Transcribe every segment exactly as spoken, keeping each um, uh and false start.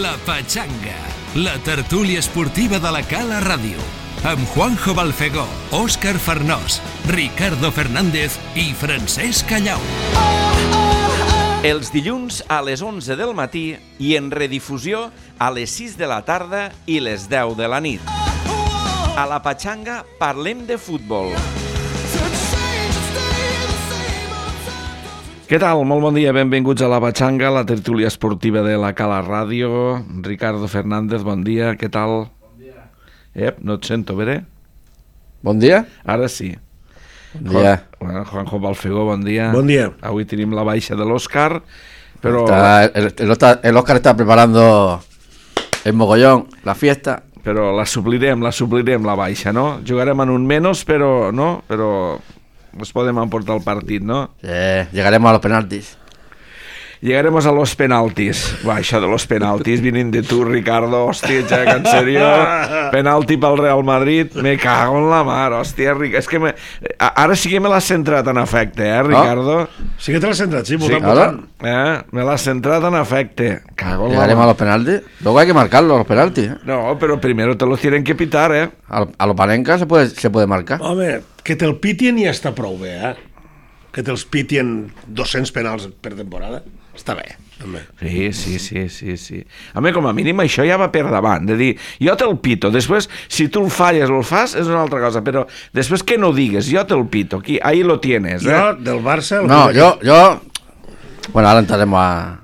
La Pachanga, la tertúlia esportiva de la Cala Ràdio, amb Juanjo Balfegó, Òscar Farnós, Ricardo Fernández i Francesc Callau. Els dilluns a les onze del matí i en redifusió a les sis de la tarda i les deu de la nit. A La Pachanga parlem de futbol. Què tal? Molt bon dia, benvinguts a La Pachanga, la tertúlia esportiva de la Cala Ràdio. Ricardo Fernández, bon dia, què tal? Bon dia. Ep, no et sento, bé? Bon dia. Ara sí. Bon dia. Juan, Juanjo Balfegó, bon dia. Bon dia. Avui tenim la baixa de l'Òscar, però... Está, el, el, el Òscar está preparando el mogollón, la fiesta. Però la suplirem, la suplirem, la baixa, no? Jugarem en un menys, però... no? Però... nos podem emportar el partit, no? Sí, llegaremos a los penaltis. Llegaremos a los penaltis. Va, això de los penaltis, vinint de tu, Ricardo, hòstia, ja, que en sèrio, penalti pel Real Madrid, me cago en la mar, hòstia, Ric... és que me... ara sí que me l'has centrat en efecte, eh, Ricardo? Oh, sí que te l'has centrat, sí, sí, votant. Eh? Me l'has centrat en efecte. Cago en Llegaremos la mar. a los penaltis. Luego hay que marcarlos, los penaltis. ¿eh? No, pero primero te los tienen que pitar, eh? A, a los Panenka se puede, se puede marcar. Home, que te'l pitien ja està prou bé, eh? Que te'ls pitien dos-cents penals per temporada, està bé, també. Sí, sí, sí, sí, sí. A mi, com a mínim, això ja va per davant, de dir, jo te'l pito, després, si tu el falles o el fas, és una altra cosa, però després que no digues, jo te'l pito, aquí, ahí lo tienes, eh? Jo, del Barça... No, yo, yo... Bueno, ahora entraremos a...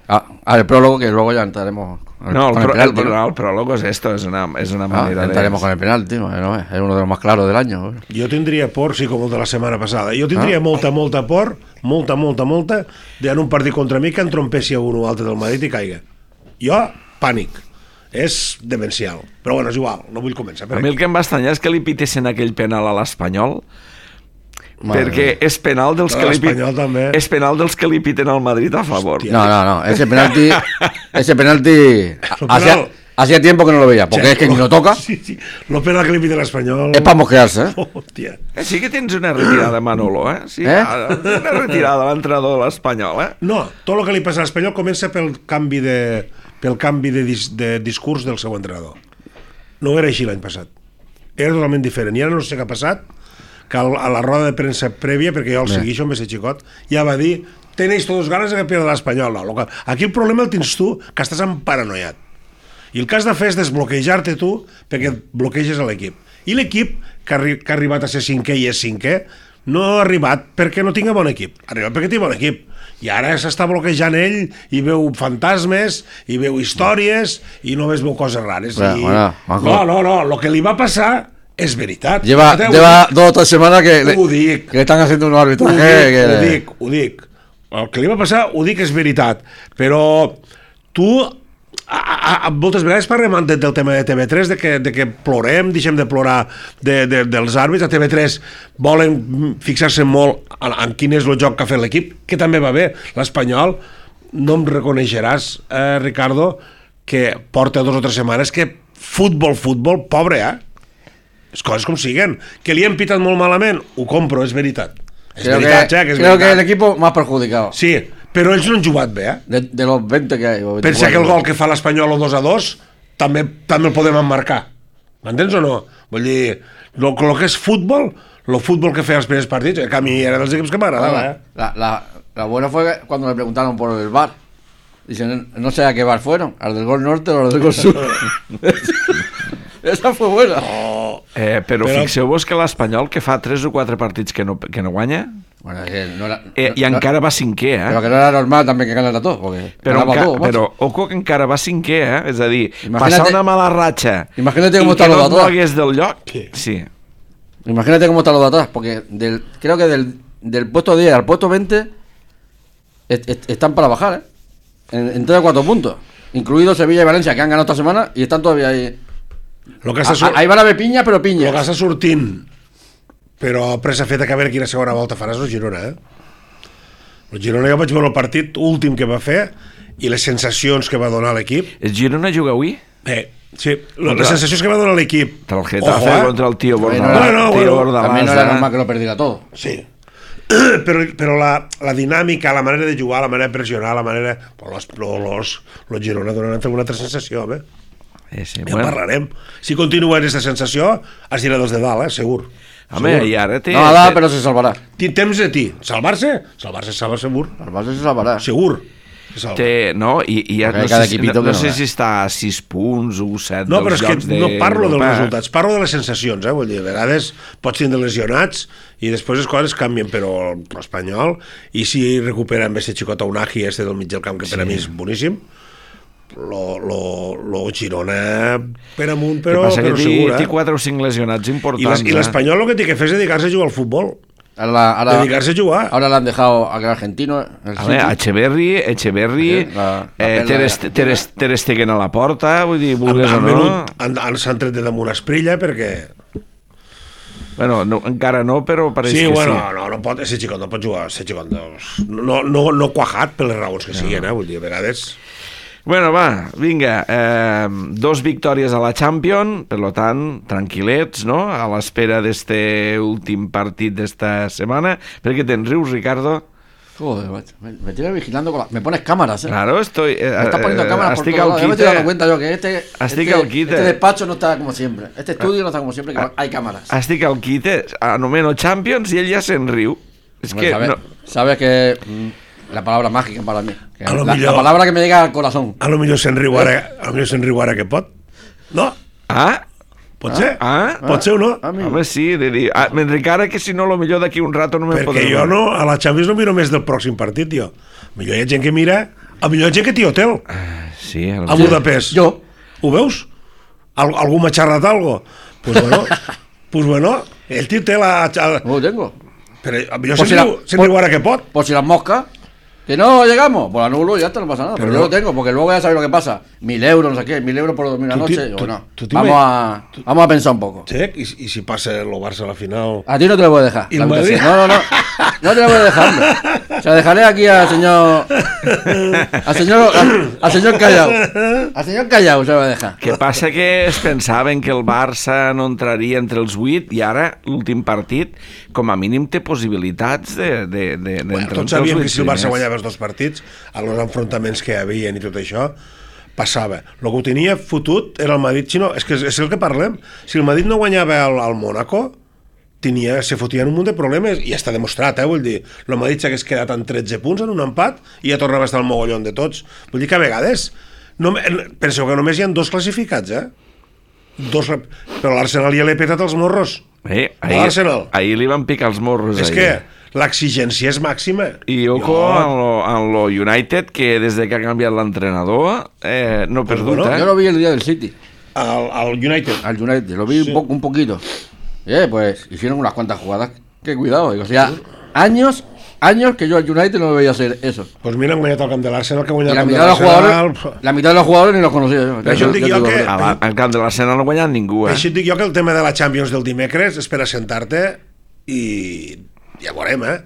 a al prólogo, que luego ya entraremos... No, el, con pro, el, penalti, el, ¿no? el prólogo es esto, es una, es una Ah, manera entraremos de... con el penalti, ¿no? Es uno de los más claros del año. ¿no? Jo tindria por, sí, com el de la setmana passada, jo tindria ah? molta, molta por, molta, molta, molta, de en un partit contra mi que entrompessi a un o altre del Madrid i caiga. Jo, pànic. És demencial. Però bueno, és igual, no vull començar. A mi el que em va estranyar és que li pitessin aquell penal a l'Espanyol, Madre perquè mía. és penal dels No, que li l'Espanyol també. és penal dels que li piten al Madrid a favor. Hòstia. No, no, no. Ese penalti... ese penalti... Lo Hacía, penal. hacía tiempo que no lo veía, porque Sí. es que ni lo toca. Sí, sí. Lo penal que li pide l'Espanyol... Es para mosquearse, ¿eh? Hòstia. Eh, sí que tens una retirada, Manolo, eh? Sí, Eh? una retirada a l'entrenador de l'Espanyol, eh? No, tot el que li passa a l'Espanyol comença pel canvi de, pel canvi de, dis, de discurs del seu entrenador. No era així l'any passat. Era totalment diferent. I ara no sé què ha passat, que a la roda de premsa prèvia, perquè jo el seguixo amb ese xicot, ja va dir, tenéis todos ganas de que pierda l'Espanyol. No, aquí el problema el tens tu, que estàs emparanoiat. I el que has de fer és desbloquejar-te tu perquè bloqueges a l'equip. I l'equip, que, arri que ha arribat a ser cinquè i és cinquè, no ha arribat perquè no tinga bon equip, ha arribat perquè té bon equip. I ara s'està bloquejant ell i veu fantasmes, i veu històries, i només veu coses rares. Bueno, I... bueno, no, no, no, el que li va passar és veritat. Lleva, Ho lleva dic, dos o tres semanas que le, ho dic, que le están haciendo un ho arbitraje. dic, que ho le- dic, ho dic. El que li va passar, ho dic, és veritat. Però tu... A, a, a, moltes vegades parlem del, del tema de T V tres, de que, de que plorem, deixem de plorar de, de, dels àrbits. A T V tres volen fixar-se molt en, en quin és el joc que ha fet l'equip, que també va bé. L'Espanyol, no em reconeixeràs, eh, Ricardo, que porta dos o tres setmanes que futbol, futbol, pobre, eh? Les coses com siguen. Que li han pitat molt malament, ho compro, és veritat. És Creo, veritat, que, ja, que és creo que el veritat. equipo más perjudicado. Sí, però ells no han jugat bé, eh? De, de los veinte que hay. o Pensa veinticuatro. que el gol que fa l'Espanyol o dos a dos també, també el podem emmarcar. M'entens o no? Vull dir, lo, lo que és futbol, el futbol que feia els primers partits, que a mi era dels equips que m'agradava, eh? La, la, la buena fue que cuando le preguntaron por el V A R. Dicen, no sé a qué V A R fueron, al del gol norte o al del gol sur. Esa fue buena. Oh, Eh, però, Però- fixeu-vos que l'Espanyol, que fa tres o quatre partits que no, que no guanya, Bueno, que no era, eh, i no- encara va cinquè, eh? Pero que no era normal también que ganara todo, porque Però, ganaba enca todo, macho. però ojo que encara va cinquè, eh? És a dir, Imagínate- passar una mala ratxa Imagínate cómo i está que lo no de et atrás. mogués del lloc, Sí. sí. Imagínate cómo está lo de atrás, porque del, creo que del, del puesto diez al puesto veinte est- est- están para bajar, ¿eh? En, en tres o cuatro puntos. Incluidos Sevilla y Valencia, que han ganado esta semana y están todavía ahí. lo que està, A- sur ahí van a haver piña, pero piña. lo que està sortint, però pressa feta que a veure quina segona volta faràs el Girona, eh? El Girona jo vaig veure el partit últim que va fer i les sensacions que va donar l'equip. El Girona juga avui? Eh, sí, Contra- les sensacions que va donar l'equip. Contra el Getafe, Ojo, eh? contra el Tío Bueno, Bordalás. no, no, Tío bueno, Bordalás, También no era eh? normal que lo perdiera todo. Sí. però, però la, la dinàmica, la manera de jugar, la manera de pressionar, la manera... Los, los, los Girona donaran una altra sensació, eh? Eh, sí, Ja bueno. parlarem. Si continua aquesta sensació, has tirat dos de dalt, eh? Segur. Home, Segur. i ara té... No, nada, té- pero se salvará. Tinc temps de ti. Salvar-se? Salvar-se salva segur. Salvarse se salvará. Segur. Se salva. Té, no, i, i ja Perquè no, cada sé, si- equipito no, que no no, sé eh? si està a sis punts o set No, però dels és que llocs de no parlo dels Europa. resultats, parlo de les sensacions, eh? Vull dir, a vegades pots tindre lesionats i després les coses canvien, però l'Espanyol, i si recupera amb aquest xicot Unagi, este del mig del camp, que per a mi és boníssim, lo, lo, lo Girona per amunt, però, Però, passa però que té, segur, té eh? quatre o cinc lesionats I importants. l'es- I l'Espanyol el que té que fer és dedicar-se a jugar al futbol. Ahora, ahora, Dedicarse a jugar. ahora le han dejado a aquel argentino. El A veure, City. Echeverri, Echeverri, Eh, la- la eh, perla Ter, de Est- Argentina. Ter, Est- Ter Stegen a la porta, vull dir, Han, vulguis o han, no. venut, han, han, s'han tret de damunt Esprilla perquè... Bueno, no, encara no, però pareix Sí, que bueno, sí. no, no pot, ese xicot no pot jugar, ese xicot no, no, no, no quajat per les raons que siguin, eh? Vull dir, a vegades... Bueno, va, vinga, eh, dos victòries a la Champions, per lo tant, tranquil·lets, no?, a l'espera d'este últim partit d'esta setmana. Per què te'n rius, Ricardo? Joder, macho, me, me tienes vigilando con la... Me pones cámaras, ¿eh? Claro, estoy... Eh, Me estás poniendo eh, cámaras por estic todos al lados. Ya me quite. estoy dando cuenta yo que este, Estic este, al quite. este despacho no está como siempre. Este estudio no está como siempre, que hay cámaras. Estic al quite, anomeno Champions i ell ja se'n riu. És Hombre, que... sabes, No, sabes que mm, la palabra mágica para mí. Que A lo la, millor- la palabra que me llega al corazón. A lo millor se'n riu ara, a lo millor se'n riu ara que pot. No? ah? Pot ser? Ah? Pot ser o no? Amigo. Home, sí, de dir... Ah, m'enric ara que si no, lo millor d'aquí un rato no me'n Perquè podré jo veure. no, a la Champions no miro més del pròxim partit, jo. Millor hi ha gent que mira, a millor hi ha gent que té hotel Sí, el... a Budapest. Jo. Ho veus? Al, algú m'ha xerrat algo? Pues bueno, pues bueno, ell té hotel a... a No lo tengo. però a millor Pues se'n si la- riu, se'n riu ara que pot. Por si las moscas. Que no llegamos, pues anulo y ya está, no pasa nada. Pero, Pero yo no- lo tengo, porque luego ya sabes lo que pasa. Mil euros, no sé qué, mil euros por dormir una Tú ti- noche. tú- o no. tú te Vamos me- a, vamos a pensar un poco. Sí, i, i si passa el Barça a la final... A ti no te lo voy a dejar. ¿Y la el habitación. Madrid? No, no, no. No te lo voy a dejar, hombre. O sea, dejaré aquí al señor. Al señor. Al, al señor Callao. Al señor Callao se lo voy a dejar. Que passa que es pensaven que el Barça no entraria entre els vuit i ara, l'últim partit, com a mínim té possibilitats de, de, de, Bueno, d'entrar tots entre els sabíem vuit que si el Barça primers. guanyava els dos partits, a els enfrontaments que hi havia i tot això, passava. El que ho tenia fotut era el Madrid. Si no, és que és, és el que parlem. Si el Madrid no guanyava al, al Mónaco, tenia, se fotien un munt de problemes, i ja està demostrat, eh? Vull dir, el Madrid s'hagués quedat en tretze punts en un empat i ja tornava a estar al mogollon de tots. Vull dir que a vegades, no, penseu que només hi ha dos classificats, eh? Dos, però l'Arsenal ja l'he petat els morros. Eh, A ahir, l'Arsenal. ahir li van picar els morros. És ahir. que l'exigència és màxima. I ojo Jo- en lo, en lo United, que des de que ha canviat l'entrenador eh, no ha perdut, bueno, eh? Yo lo vi el día del City. Al, al United. Al United. Lo vi Sí. un, poco, un poquito. Eh, pues hicieron unas cuantas jugadas. Que cuidado. Digo, o sea, años, años que yo al United no lo veía hacer eso. Pues mira, han guanyat el camp de l'Arsenal, que ha Y guanyat la el camp mitad, de de los jugadores, l'Arsenal... la mitad de los jugadores ni los conocía yo. Pero yo digo te yo digo que- la A verdad. la, al camp de l'Arsenal no ha guanyat ningú, eh? Així et dic jo que el tema de la Champions del dimecres és per assentar-te i ja veurem, eh?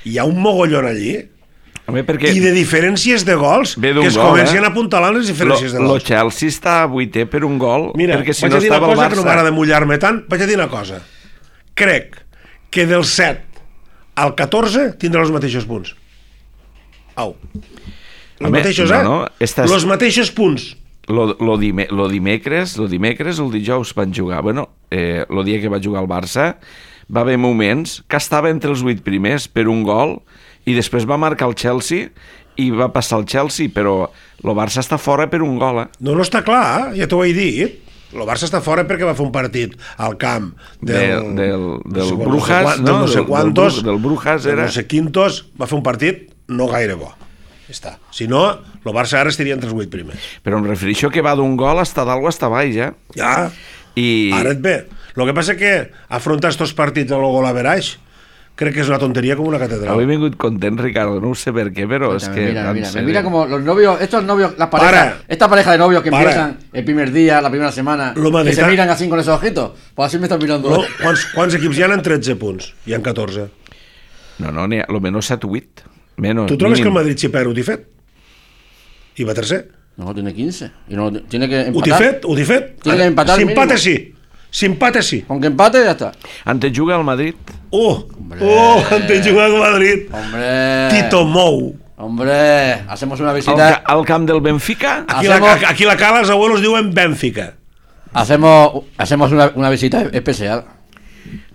Hi ha un mogollon allí Home, perquè i de diferències de gols Ve que d'un es gol, comencen eh? a apuntalar les lo, diferències de lo gols. Chelsea està vuitè per un gol, Mira, perquè si vaig no a dir una estava el cosa que no Barça... m'agrada mullar-me tant, vaig a dir una cosa. Crec que del set al catorze tindrà els mateixos punts. Au. Els Home, mateixos, no, eh? no, estàs- Els mateixos punts. Lo, lo, dime, lo dimecres, lo dimecres o el dijous van jugar. Bueno, eh, el dia que va jugar el Barça va haver moments que estava entre els vuit primers per un gol i després va marcar el Chelsea i va passar el Chelsea, però el Barça està fora per un gol, eh? No, no està clar, ja t'ho he dit. El Barça està fora perquè va fer un partit al camp del, Del- del- del no sé, Brujas, quant- no? del no sé Del- del quantos, Bru- del Brujas del era. no sé quintos, va fer un partit no gaire bo. Ja està. Si no, el Barça ara estaria entre els vuit primers. Però em refereixo que va d'un gol hasta dalt o hasta baix, eh? Ja, I... ara et ve. El que passa que afrontar estos partits amb el gol average crec que és una tonteria com una catedral. Avui he vingut content, Ricardo, no ho sé per què, però és que... Mira, en mira, sèrio. mira como los novios, estos novios, las parejas, Para. esta pareja de novios que Para. empiezan el primer día, la primera semana, Lo que madrita- se miran así con esos ojitos, pues así me están mirando. No, quants, quants equips hi ha en tretze punts? Hi ha catorze. No, no, n'hi ha, lo menos set o vuit. Menos, Tu trobes mínim. que el Madrid si perd ho t'hi fet? I va tercer? No, tiene quince. Y no, tiene que Ho t'hi empatar. fet? Ho t'hi fet? Tiene que empatar Si empata mínimo. sí. Si empate, sí. Con que empate, ya está. Antes juga al Madrid. Oh, oh, antes de jugar con Madrid. Hombre. Tito Mou. Hombre, hacemos una Al, visita. ca al camp del Benfica. Aquí, Hacemos- la, aquí la cala, els abuelos diuen Benfica. Hacemos, hacemos una, una visita especial.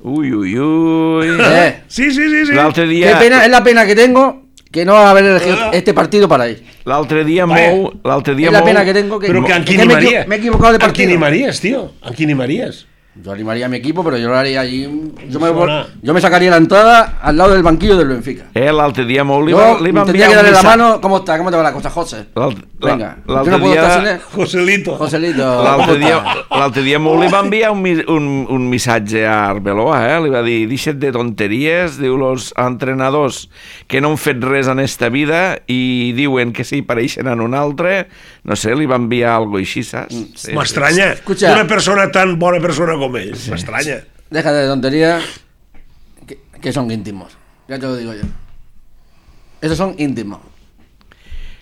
Uy, uy, uy. Eh, Sí, sí, sí, sí. L'altre qué dia... pena, es la pena que tengo que no haber elegido Ah. este partido para ir. L'altre dia Vaya. Mou... L'altre dia Es la Mou... pena que tengo que. Pero que ¿a quién que me, animaría? equi- me he equivocado de ¿A quién partido. animarías, tío? ¿A quién animarías? Yo animaría a mi equipo, pero yo lo haría allí. Yo me, Suena. yo me sacaría la entrada al lado del banquillo del Benfica. Eh, l'altre dia Mou li Yo va, li va tendría enviar que darle un la missatge... mano. ¿Cómo está? ¿Cómo te va la cosa, José? L'altre Venga. Yo l'altre no puedo estar sin dia... él. Joselito. Joselito. L'altre ¿cómo dia, está? l'altre dia Mou li va enviar un, mi- un, un missatge a Arbeloa, eh? Li va dir, deixa't de tonteries, diu, los entrenadors que no han fet res en esta vida i diuen que si pareixen en un altre, no sé, li va enviar algo així, saps? Sí, M'estranya. Escucha. Una persona tan bona persona com ell. M'estranya. Déjate de tonterías. Que, que son íntimos. Ya te lo digo yo. Esos son íntimos.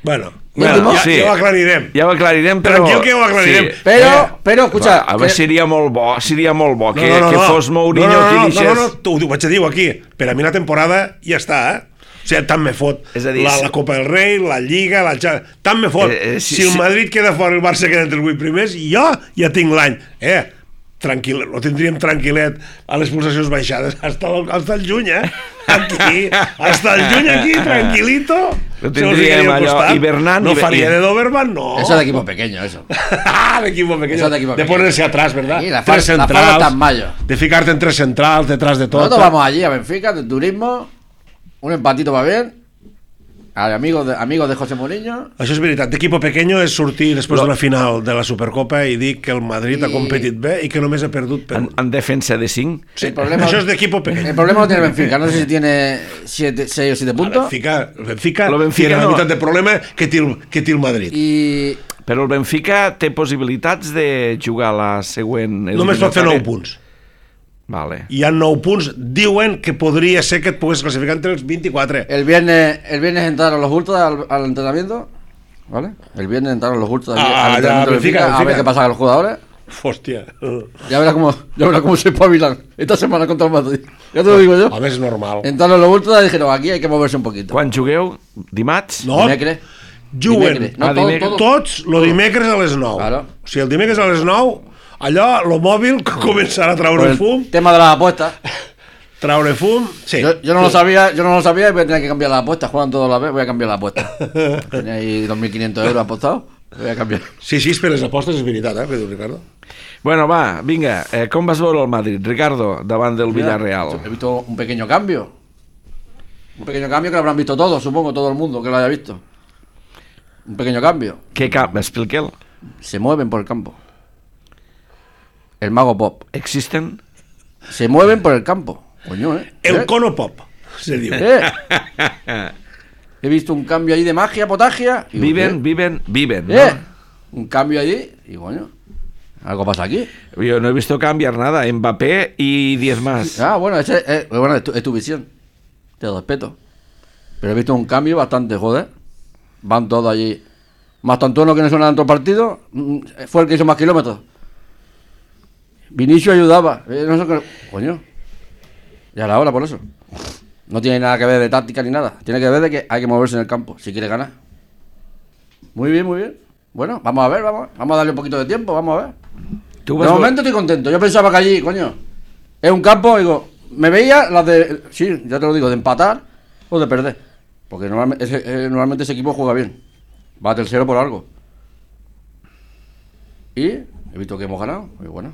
Bueno, Bueno, ja, sí. ja ho aclarirem. Ja ho aclarirem, però... Tranquil que ho aclarirem. Sí. Pero, Eh, pero, escucha. Va, a veure, que- seria molt bo, seria molt bo que, que fos Mourinho no, no, qui no, deixés... no, no, no, t'ho vaig a dir aquí. Per a mi la temporada ja està, eh? O sigui, tant me fot És a dir, la, si- la Copa del Rei, la Lliga, la Cha- tant me fot. Eh, eh, si- si, el si- Madrid queda fora, el Barça queda entre els vuit primers, jo ja tinc l'any. Eh, tranquil, lo tindríem tranquil·let a les pulsacions baixades hasta el, hasta el juny, eh? Aquí, hasta el juny aquí, tranquilito. Lo Se nos tindríem ficaria al allò, costat. hibernant No i- faria i- de Doberman, no. Eso es de equipo pequeño, eso. Ah, de equipo pequeño. Eso de equipo de pequeño. ponerse atrás, ¿verdad? Sí, la tres fal- la falda centrals. está en mayo. De ficarte en tres centrals, detrás de todo. Nosotros vamos allí a Benfica, de turismo. Un empatito va bien. A amigos de, amigos de José Mourinho. Això és veritat. D'equipo pequeño és sortir després d'una final de la Supercopa i dir que el Madrid I- ha competit bé i que només ha perdut per En, un. en defensa de cinc. Sí, El problema- això és d'equipo El pequeño. problema lo tiene Benfica. No sé si tiene siete, seis o siete El puntos. Benfica, el Benfica, Lo Benfica tiene la no. meitat de problema que té el, que té el Madrid. Y Però el Benfica té possibilitats de jugar la següent... Només pot fer nou eliminatòria? punts. Vale. Hi ha nou punts. Diuen que podria ser que et pogués classificar entre els vint-i-quatre. el viernes, el viernes entraron los ultras al, al entrenamiento. ¿Vale? El viernes entraron los ultras al, Ah, al ya, entrenamiento del Benfica, Benfica, a ver Benfica. qué pasa con los jugadores. Hòstia. Ya verás cómo, ya verás cómo se espabilan esta semana contra el Madrid. Ya te lo digo yo. Home, és normal. Entraron los ultras y dijeron, aquí hay que moverse un poquito. Quan jugueu? Dimarts? No, Dimecres. juguen Dimecres. No, Ah, todo, dimecres. todo. tots lo dimecres a les nou. Claro. O sigui, el dimecres a les nou, allò, lo mòbil, començarà a Por traure el fum, tema de las apuestas. traure fum, sí. Yo, yo no lo sabía, yo no lo sabía y voy a tener que cambiar las apuestas. Juegan todos a la vez, voy a cambiar la apuesta. Tenía ahí dos mil quinientos euros apostados. Voy a cambiar. Sí, sí, per les apostes és veritat, eh, que diu Ricardo. Bueno, va, vinga. Eh, com vas veure el Madrid, Ricardo, davant del Villarreal? He visto un pequeño cambio. Un pequeño cambio que lo habrán visto todos, supongo, todo el mundo que lo haya visto. Un pequeño cambio. Què cap? Explique'l. Se mueven por el campo. El mago Pop. Existen? Se mueven por el campo. Coño, ¿eh? El ¿Eh? cono pop, se diu. ¿Eh? He visto un cambio ahí de magia, potagia. y digo, Viven, ¿qué? viven, viven, ¿Eh? no? Un cambio allí y coño. Algo pasa aquí. Yo no he visto cambiar nada. Mbappé y diez más. Ah, bueno, ese, eh, bueno es, tu, es tu visión. Te respeto. Pero he visto un cambio bastante, joder. Van todos allí. Más Antonio, que no suena tanto partido, mm, fue el que hizo más kilómetros. Vinicio ayudaba. Eh, no sé qué- Coño. Ya era hora por eso. No tiene nada que ver de táctica ni nada. Tiene que ver de que hay que moverse en el campo si quiere ganar. Muy bien, muy bien. Bueno, vamos a ver, vamos, vamos a darle un poquito de tiempo, vamos a ver. ¿Tú De vas momento estoy contento. Yo pensaba que allí, coño, es un campo, digo, me veía las de, sí, ya te lo digo, de empatar o de perder. Porque normalmente ese, eh, normalmente ese equipo juega bien. Va tercero por algo. Y he visto que hemos ganado. Y bueno,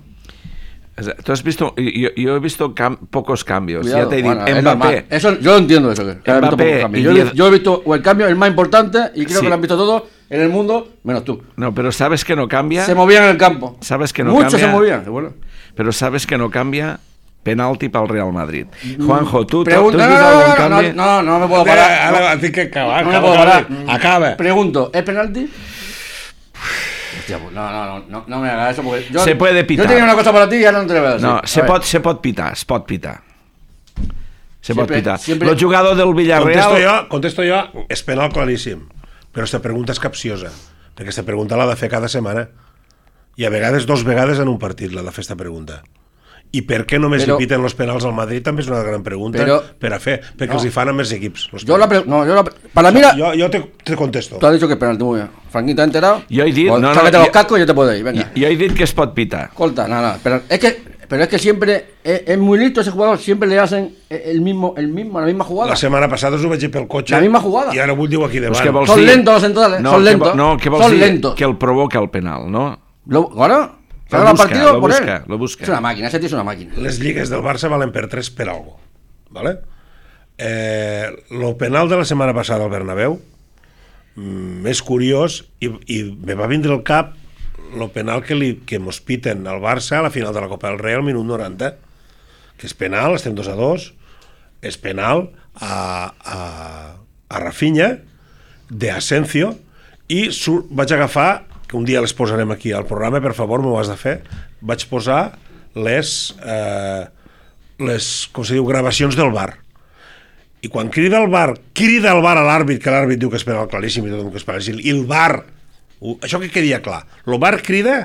Tú has visto, yo, yo he visto cam- pocos cambios. cuidado. Ya te digo, Bueno, es Mbappé. normal. Eso, yo lo entiendo eso. Que, que he visto Mbappé pocos cambios. y Yo, he- diez- yo he visto o el cambio, el más importante, y creo Sí. que lo han visto todos en el mundo, menos tú. No, pero sabes que no cambia. Se movían en el campo. Sabes que no Muchos cambia. se movían. Y bueno. Pero sabes que no cambia penalti pel Real Madrid. Juanjo, ¿tú, tú Pregunta, has no, visto no, algún no, cambio? no, no, no me puedo Ara, parar. ara No. tinc que acabar, No me acaba, puedo acaba, parar. acaba. Pregunto, ¿es penalti? Hostia, pues no, no, no, no, no me hagas eso porque yo, Se puede pitar. Yo tenía una cosa para ti y ahora no te la voy a decir. No, A se ver, pot, se pot pitar, es pot pitar. Se pot Siempre- pitar. siempre- El jugador del Contesto Villarreal... jo, contesto jo, és penal claríssim. Però aquesta pregunta és capciosa, perquè aquesta pregunta l'ha de fer cada setmana. I a vegades, dos vegades en un partit, l'ha de fer esta pregunta. I per què només però, li piten els penals al Madrid també és una gran pregunta però, per a fer, perquè no. els hi fan a més equips. Jo la pre no, yo la para mí la... yo, yo te, te contesto. Tú has dicho que es penalti, muy bien. Franquín, ¿te has enterado? Yo he dicho, pues, no, no, sácate yo, los cascos y yo te puedo ir, venga. Yo he dicho que es pot pitar. Escolta, nada, nada, pero es que pero es que siempre es, es muy listo ese jugador, siempre le hacen el mismo el mismo la misma jugada. La setmana passada us ho vaig dir pel cotxe. La misma jugada. I ara ho diu aquí davant. Pues son lentos los centrales, no, son lentos. Que, no, que vols son dir lentos. que el provoca el penal, ¿no? Lo, ¿Ahora? Lo busca, partido lo por busca, él. lo busca. Es una máquina, ese tío es una máquina. Les lligues del Barça valen per tres per algo. ¿Vale? Eh, lo penal de la setmana passada al Bernabéu mm, és curiós i, i me va vindre al cap lo penal que, li, que mos piten al Barça a la final de la Copa del Rei al minut noranta, que és penal, estem dos a dos, és penal a, a, a Rafinha de Asensio i sur, vaig agafar, que un dia les posarem aquí al programa, per favor, m'ho has de fer, vaig posar les eh, les, com se diu, gravacions del V A R. I quan crida el V A R, crida el V A R a l'àrbit, que l'àrbit diu que és penal claríssim i tot que és penal, i el V A R, això que quedia clar, el V A R crida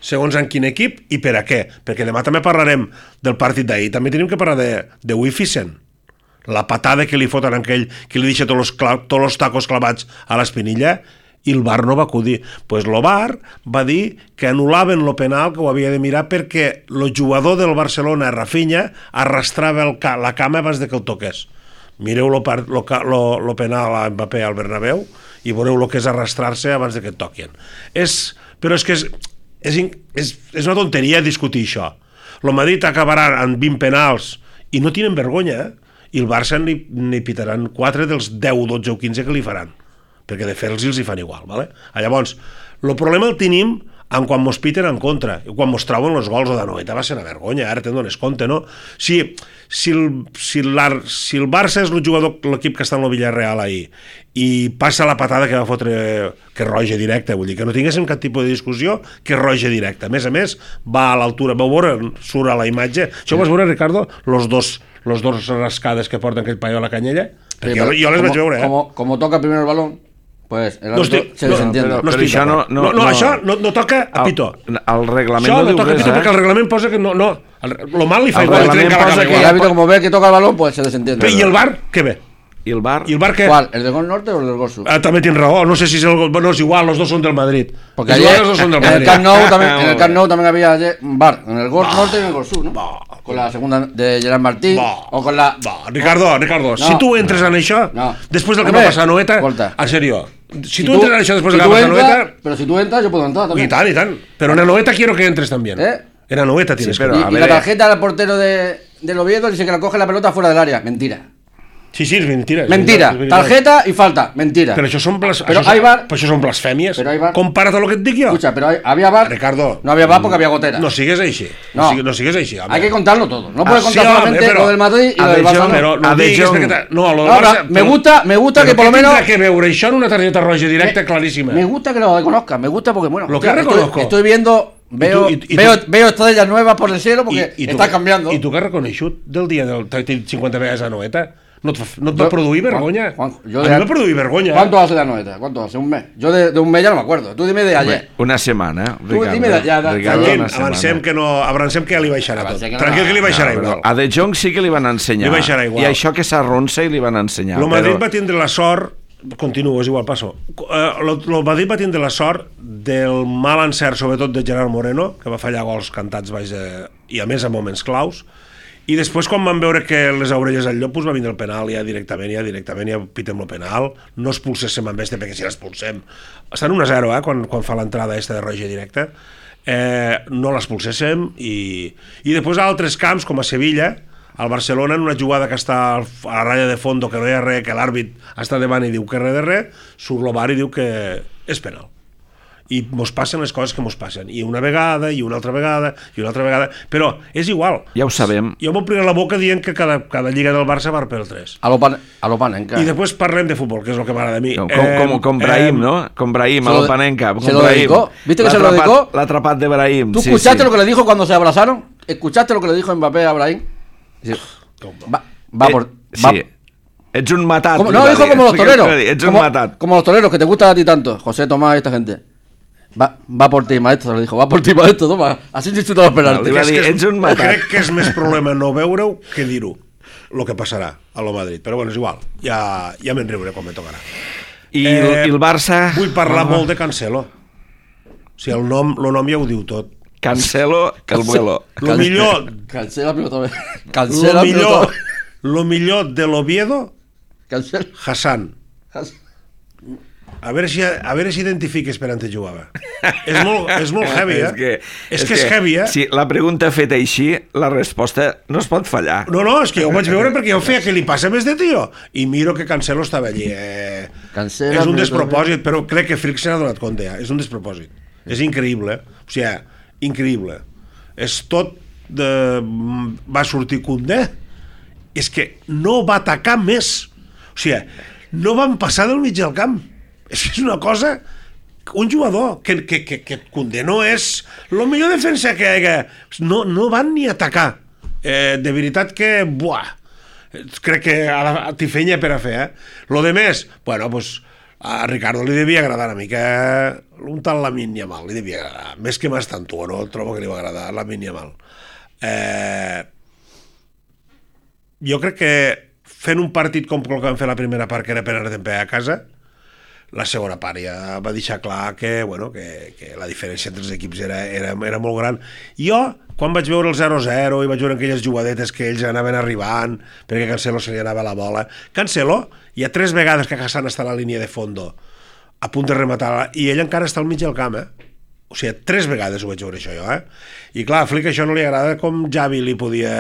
segons en quin equip i per a què, perquè demà també parlarem del partit d'ahir, també tenim que parlar de, de Wificen, la patada que li foten a aquell que li deixa tots els, tots els tacos clavats a l'espinilla, i el V A R no va acudir. Doncs pues el V A R va dir que anul·laven el penal, que ho havia de mirar perquè el jugador del Barcelona, Rafinha, arrastrava el ca la cama abans de que el toqués. Mireu el penal a Mbappé al Bernabéu i veureu el que és arrastrar-se abans de que et toquin. És, però és que és, és, és, és una tonteria discutir això. El Madrid acabarà amb vint penals i no tenen vergonya, eh? I el Barça n'hi pitaran quatre dels deu, dotze o quinze que li faran, perquè de fer-los els hi fan igual, ¿vale? Llavors, el problema el tenim en quan mos piten en contra, i quan mos trauen els gols o de Noeta va ser una vergonya, ara te'n dones compte, no? Si, si, el, si, el, si el Barça és el jugador, l'equip que està en el Villarreal ahir, i passa la patada que va fotre, que roja directa, vull dir, que no tinguéssim cap tipus de discussió, que roja directa. A més a més, va a l'altura, vau veure, surt a la imatge, això ho vas veure, Ricardo, los dos, los dos rascades que porten aquell paio a la canyella? Perquè sí, jo, jo les como, vaig veure, eh? Como, como toca primero el balón, pues el no estic, se desentiende. No, no, no, no, això no, no, no, no, no, això no, no toca a pito. El, el reglament això no, no toca a pito, eh? Perquè el reglament posa que no... no el, lo mal li fa el igual. reglament posa que el árbitro como ve que toca el balón, pues se desentiende. I el V A R, què ve? I el V A R? ¿Y el V A R qué? ¿Cuál? ¿El del gol norte o el del gol sur? Ah, también tiene razón, no sé si es el gol, bueno, es igual, los dos son del Madrid. Porque es ayer, igual, los dos son del en Madrid. el Camp Nou también, en el Camp Nou también había ayer un V A R, en el gol norte y en el gol sur, ¿no? Va. Con la segunda de Gerard Martín Va. o con la... Va, Ricardo, Ricardo, No. si tu entres en això, No. després del que Hombre, va passar a Noeta, escolta. en serio, si, Si tu entres en això després si del que tú va passar a entras, Noeta, pero si tú entras, yo puedo entrar y también. tal, y tal, pero en la Noeta quiero que entres también. ¿Eh? En la Noeta tienes Sí, pero- que... Y, a y ver, la eh. tarjeta del portero de, del Oviedo dice que la coge la pelota fuera del área. Mentira. Sí, sí, és mentira. és Mentira. veritat, és veritat. Tarjeta y falta. Mentira. Però això són, blas... Pero això, hay són... V A R. però això són blasfèmies. Pero hay V A R. Compara't a lo que et dic jo. Escucha, pero hay- había V A R. Ricardo. No había V A R porque había gotera. No sigues així. No. No, sigues, no sigues així. Hay que contarlo todo. No puedes Ah, sí, contar home, solamente però- lo del Madrid y a lo del ver, Barça. yo- no. Però no A ho de diguis Jong. perquè... No, lo del No, Barça... no, me gusta, me gusta però que por lo què tindrà menos... que veure això en una targeta roja directa claríssima? Me gusta que lo reconozcan, me gusta porque, bueno, Lo que hostia, reconozco. estoy, estoy viendo, veo, Y tú- y- y veo, tú- veo estrellas nuevas por el cielo porque I, i tu, está cambiando. I tu que has reconeixut del dia del cinquanta vegades a Noeta? No et, fa- no et va Yo- produir Juan- vergonya? Juan- yo a de- mi va produir vergonya. ¿Cuánto hace la noeta? ¿Cuánto hace? ¿Un mes? Yo de, de un mes ya no me acuerdo. Tú dime de ayer. Una setmana, Tu Ricardo. dime de- ja, de- Ricardo, Tranquil, una setmana. avancem que, no, avancem que ja li baixarà tot. Avancem que no- Tranquil que li baixarà No, però igual. a De Jong sí que li van ensenyar. Li baixarà igual. I això que s'arronsa i li van ensenyar. El Madrid però... va tindre la sort, continuo, és igual, passo. El Madrid va tindre la sort del mal encert, sobretot de Gerard Moreno, que va fallar gols cantats baix de... i a més a moments claus. I després, quan van veure que les orelles al llop, pues va vindre el penal ja directament, ja directament, ja pitem el penal, no expulséssim amb este, perquè si l'expulsem... Estan un a zero, eh, quan, quan fa l'entrada esta de roja directa. Eh, no l'expulséssim i, i després a altres camps, com a Sevilla, al Barcelona, en una jugada que està a la ratlla de fondo, que no hi ha res, que l'àrbit està davant i diu que res de res, surt el V A R i diu que és penal. I mos passen les coses que mos passen, i una vegada, i una altra vegada, i una altra vegada, però és igual. Ja ho sabem. Jo m'ompliré la boca dient que cada, cada lliga del Barça va per tres. A lo, pan, a lo Panenka. I després parlem de futbol, que és el que m'agrada a mi. Com, com, com, com Brahim, ¿no? Con Brahim, a lo Panenka. se lo dedicó. ¿Viste que se lo dedicó? L'ha atrapat de Brahim. ¿Tú sí, escuchaste sí. lo que le dijo cuando se abrazaron? ¿Escuchaste lo que le dijo Mbappé a Brahim? Sí. Va, va Eh, por... sí. Va, Ets un matat. como, li no, va dijo dir. como los Explica- toreros. Ets un Como, matat. como los toreros que te gustan a ti tanto, José Tomás y esta gente. Va, va por ti, maestro, le dijo, va por ti, maestro, toma, así disfruta los penaltis. Li va dir, ets un matat. Crec que és més problema no veure-ho que dir-ho, el que passarà a lo Madrid. Però bueno, és igual, ja, ja me'n riuré quan me tocarà. I, eh, i el Barça... Vull parlar molt de Cancelo. O sigui, el nom, el nom ja ho diu tot. Cancelo, el vuelo. Lo millor... Cancela la pilota. Lo Cancela la millor, pilota. lo millor de l'Oviedo, Cancela. Hassan. A veure si, a veure si identifiques per on te jugava. És molt, és molt heavy, eh? És que és, que és heavy, eh? Si la pregunta feta així, la resposta no es pot fallar. No, no, és que jo ho vaig veure perquè jo feia que li passa més de tio. I miro que Cancelo estava allí. Eh... Cancela, és un despropòsit, però crec que Frick se n'ha donat compte, ja. És un despropòsit. És increïble, eh? O sigui, increïble. És tot de... Va sortir Koundé. És que no va atacar més. O sigui, no van passar del mig del camp. És que és una cosa... Un jugador que, que, que, que Koundé no és el millor defensa que hi ha. No, no van ni atacar. Eh, de veritat que... Buah! Crec que t'hi feia per a fer, eh? Lo de més, bueno, pues, a Ricardo li devia agradar una mica un tal Lamine Yamal, li devia agradar. Més que Mastantuo, no? Trobo que li va agradar Lamine Yamal. Eh, jo crec que fent un partit com el que vam fer la primera part, que era per anar a casa, la segona part ja va deixar clar que, bueno, que, que la diferència entre els equips era, era, era molt gran. Jo, quan vaig veure el zero a zero i vaig veure aquelles jugadetes que ells anaven arribant perquè Cancelo se li anava la bola, Cancelo, hi ha tres vegades que Hassan està a la línia de fondo a punt de rematar i ell encara està al mig del camp, eh? O sigui, tres vegades ho vaig veure això jo, eh? I clar, a Flick això no li agrada com Xavi li podia...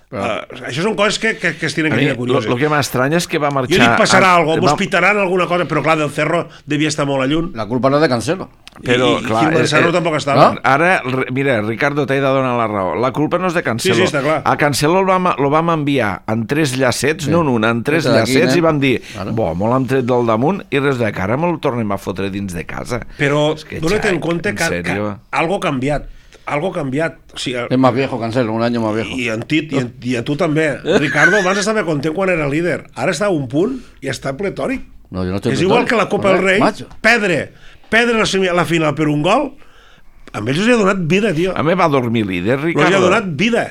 Però... Uh, això són coses que, que, que es tenen que tenir curioses. El que m'estranya és que va marxar... Jo dic passarà a... alguna cosa, mos pitaran alguna cosa, però clar, del Cerro devia estar molt a lluny. La culpa no és de Cancelo. Però, I, clar, i el Cerro eh, tampoc estava. no? Ara, mira, Ricardo, t'he de donar la raó. La culpa no és de Cancelo. Sí, sí, està clar. A Cancelo el vam, lo vam enviar en tres llacets, Sí. no en un, en tres Des d'aquí, llacets, eh? i vam dir, Claro. bo, molt hem tret del damunt, i res de cara me'l tornem a fotre dins de casa. Però És que, dona't en Jack, compte en que, que serio? algo ha canviat. Algo ha canviat. O sigui, Es más viejo Cancelo, un año más viejo. i, en Tit, i, en, i a tu també. Ricardo abans estava content quan era líder. Ara està a un punt i està pletòric. No, yo no estoy És igual que la Copa del Rei. Macho. Perdre. Perdre la, semi- la final per un gol. A ells els ha donat vida, tio. A mi va dormir líder, Els Ricardo. ha donat vida.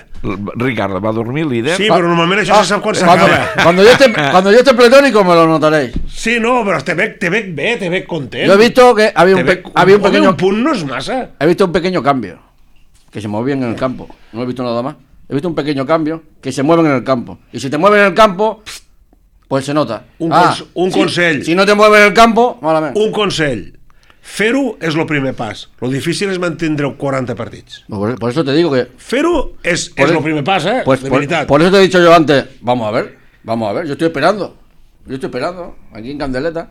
Ricardo, va dormir líder? Sí, però normalment això se sap quan Cuando, s'acaba. cuando yo esté, cuando yo esté pletórico me lo notaréis. Sí, no, però te veig, te veig bé, te veig content. Yo he visto que había un, Te pe- veig- había un home, pequeño un punt no és massa. he visto un pequeño cambio que se movían en el campo. No he visto nada más. He visto un pequeño cambio que se mueven en el campo. Y si te mueven en el campo, pues se nota. Un cons- un si- consell. Si no te mueven en el campo, malament. Un consell. Fer-ho és el primer pas. Lo difícil és mantindre quaranta partits. Por, por eso te digo que Fer-ho és, Por és el- el primer pas, eh? Pues de por, veritat. por eso te he dicho yo antes, vamos a ver, vamos a ver, yo estoy esperando, yo estoy esperando, aquí en Candeleta,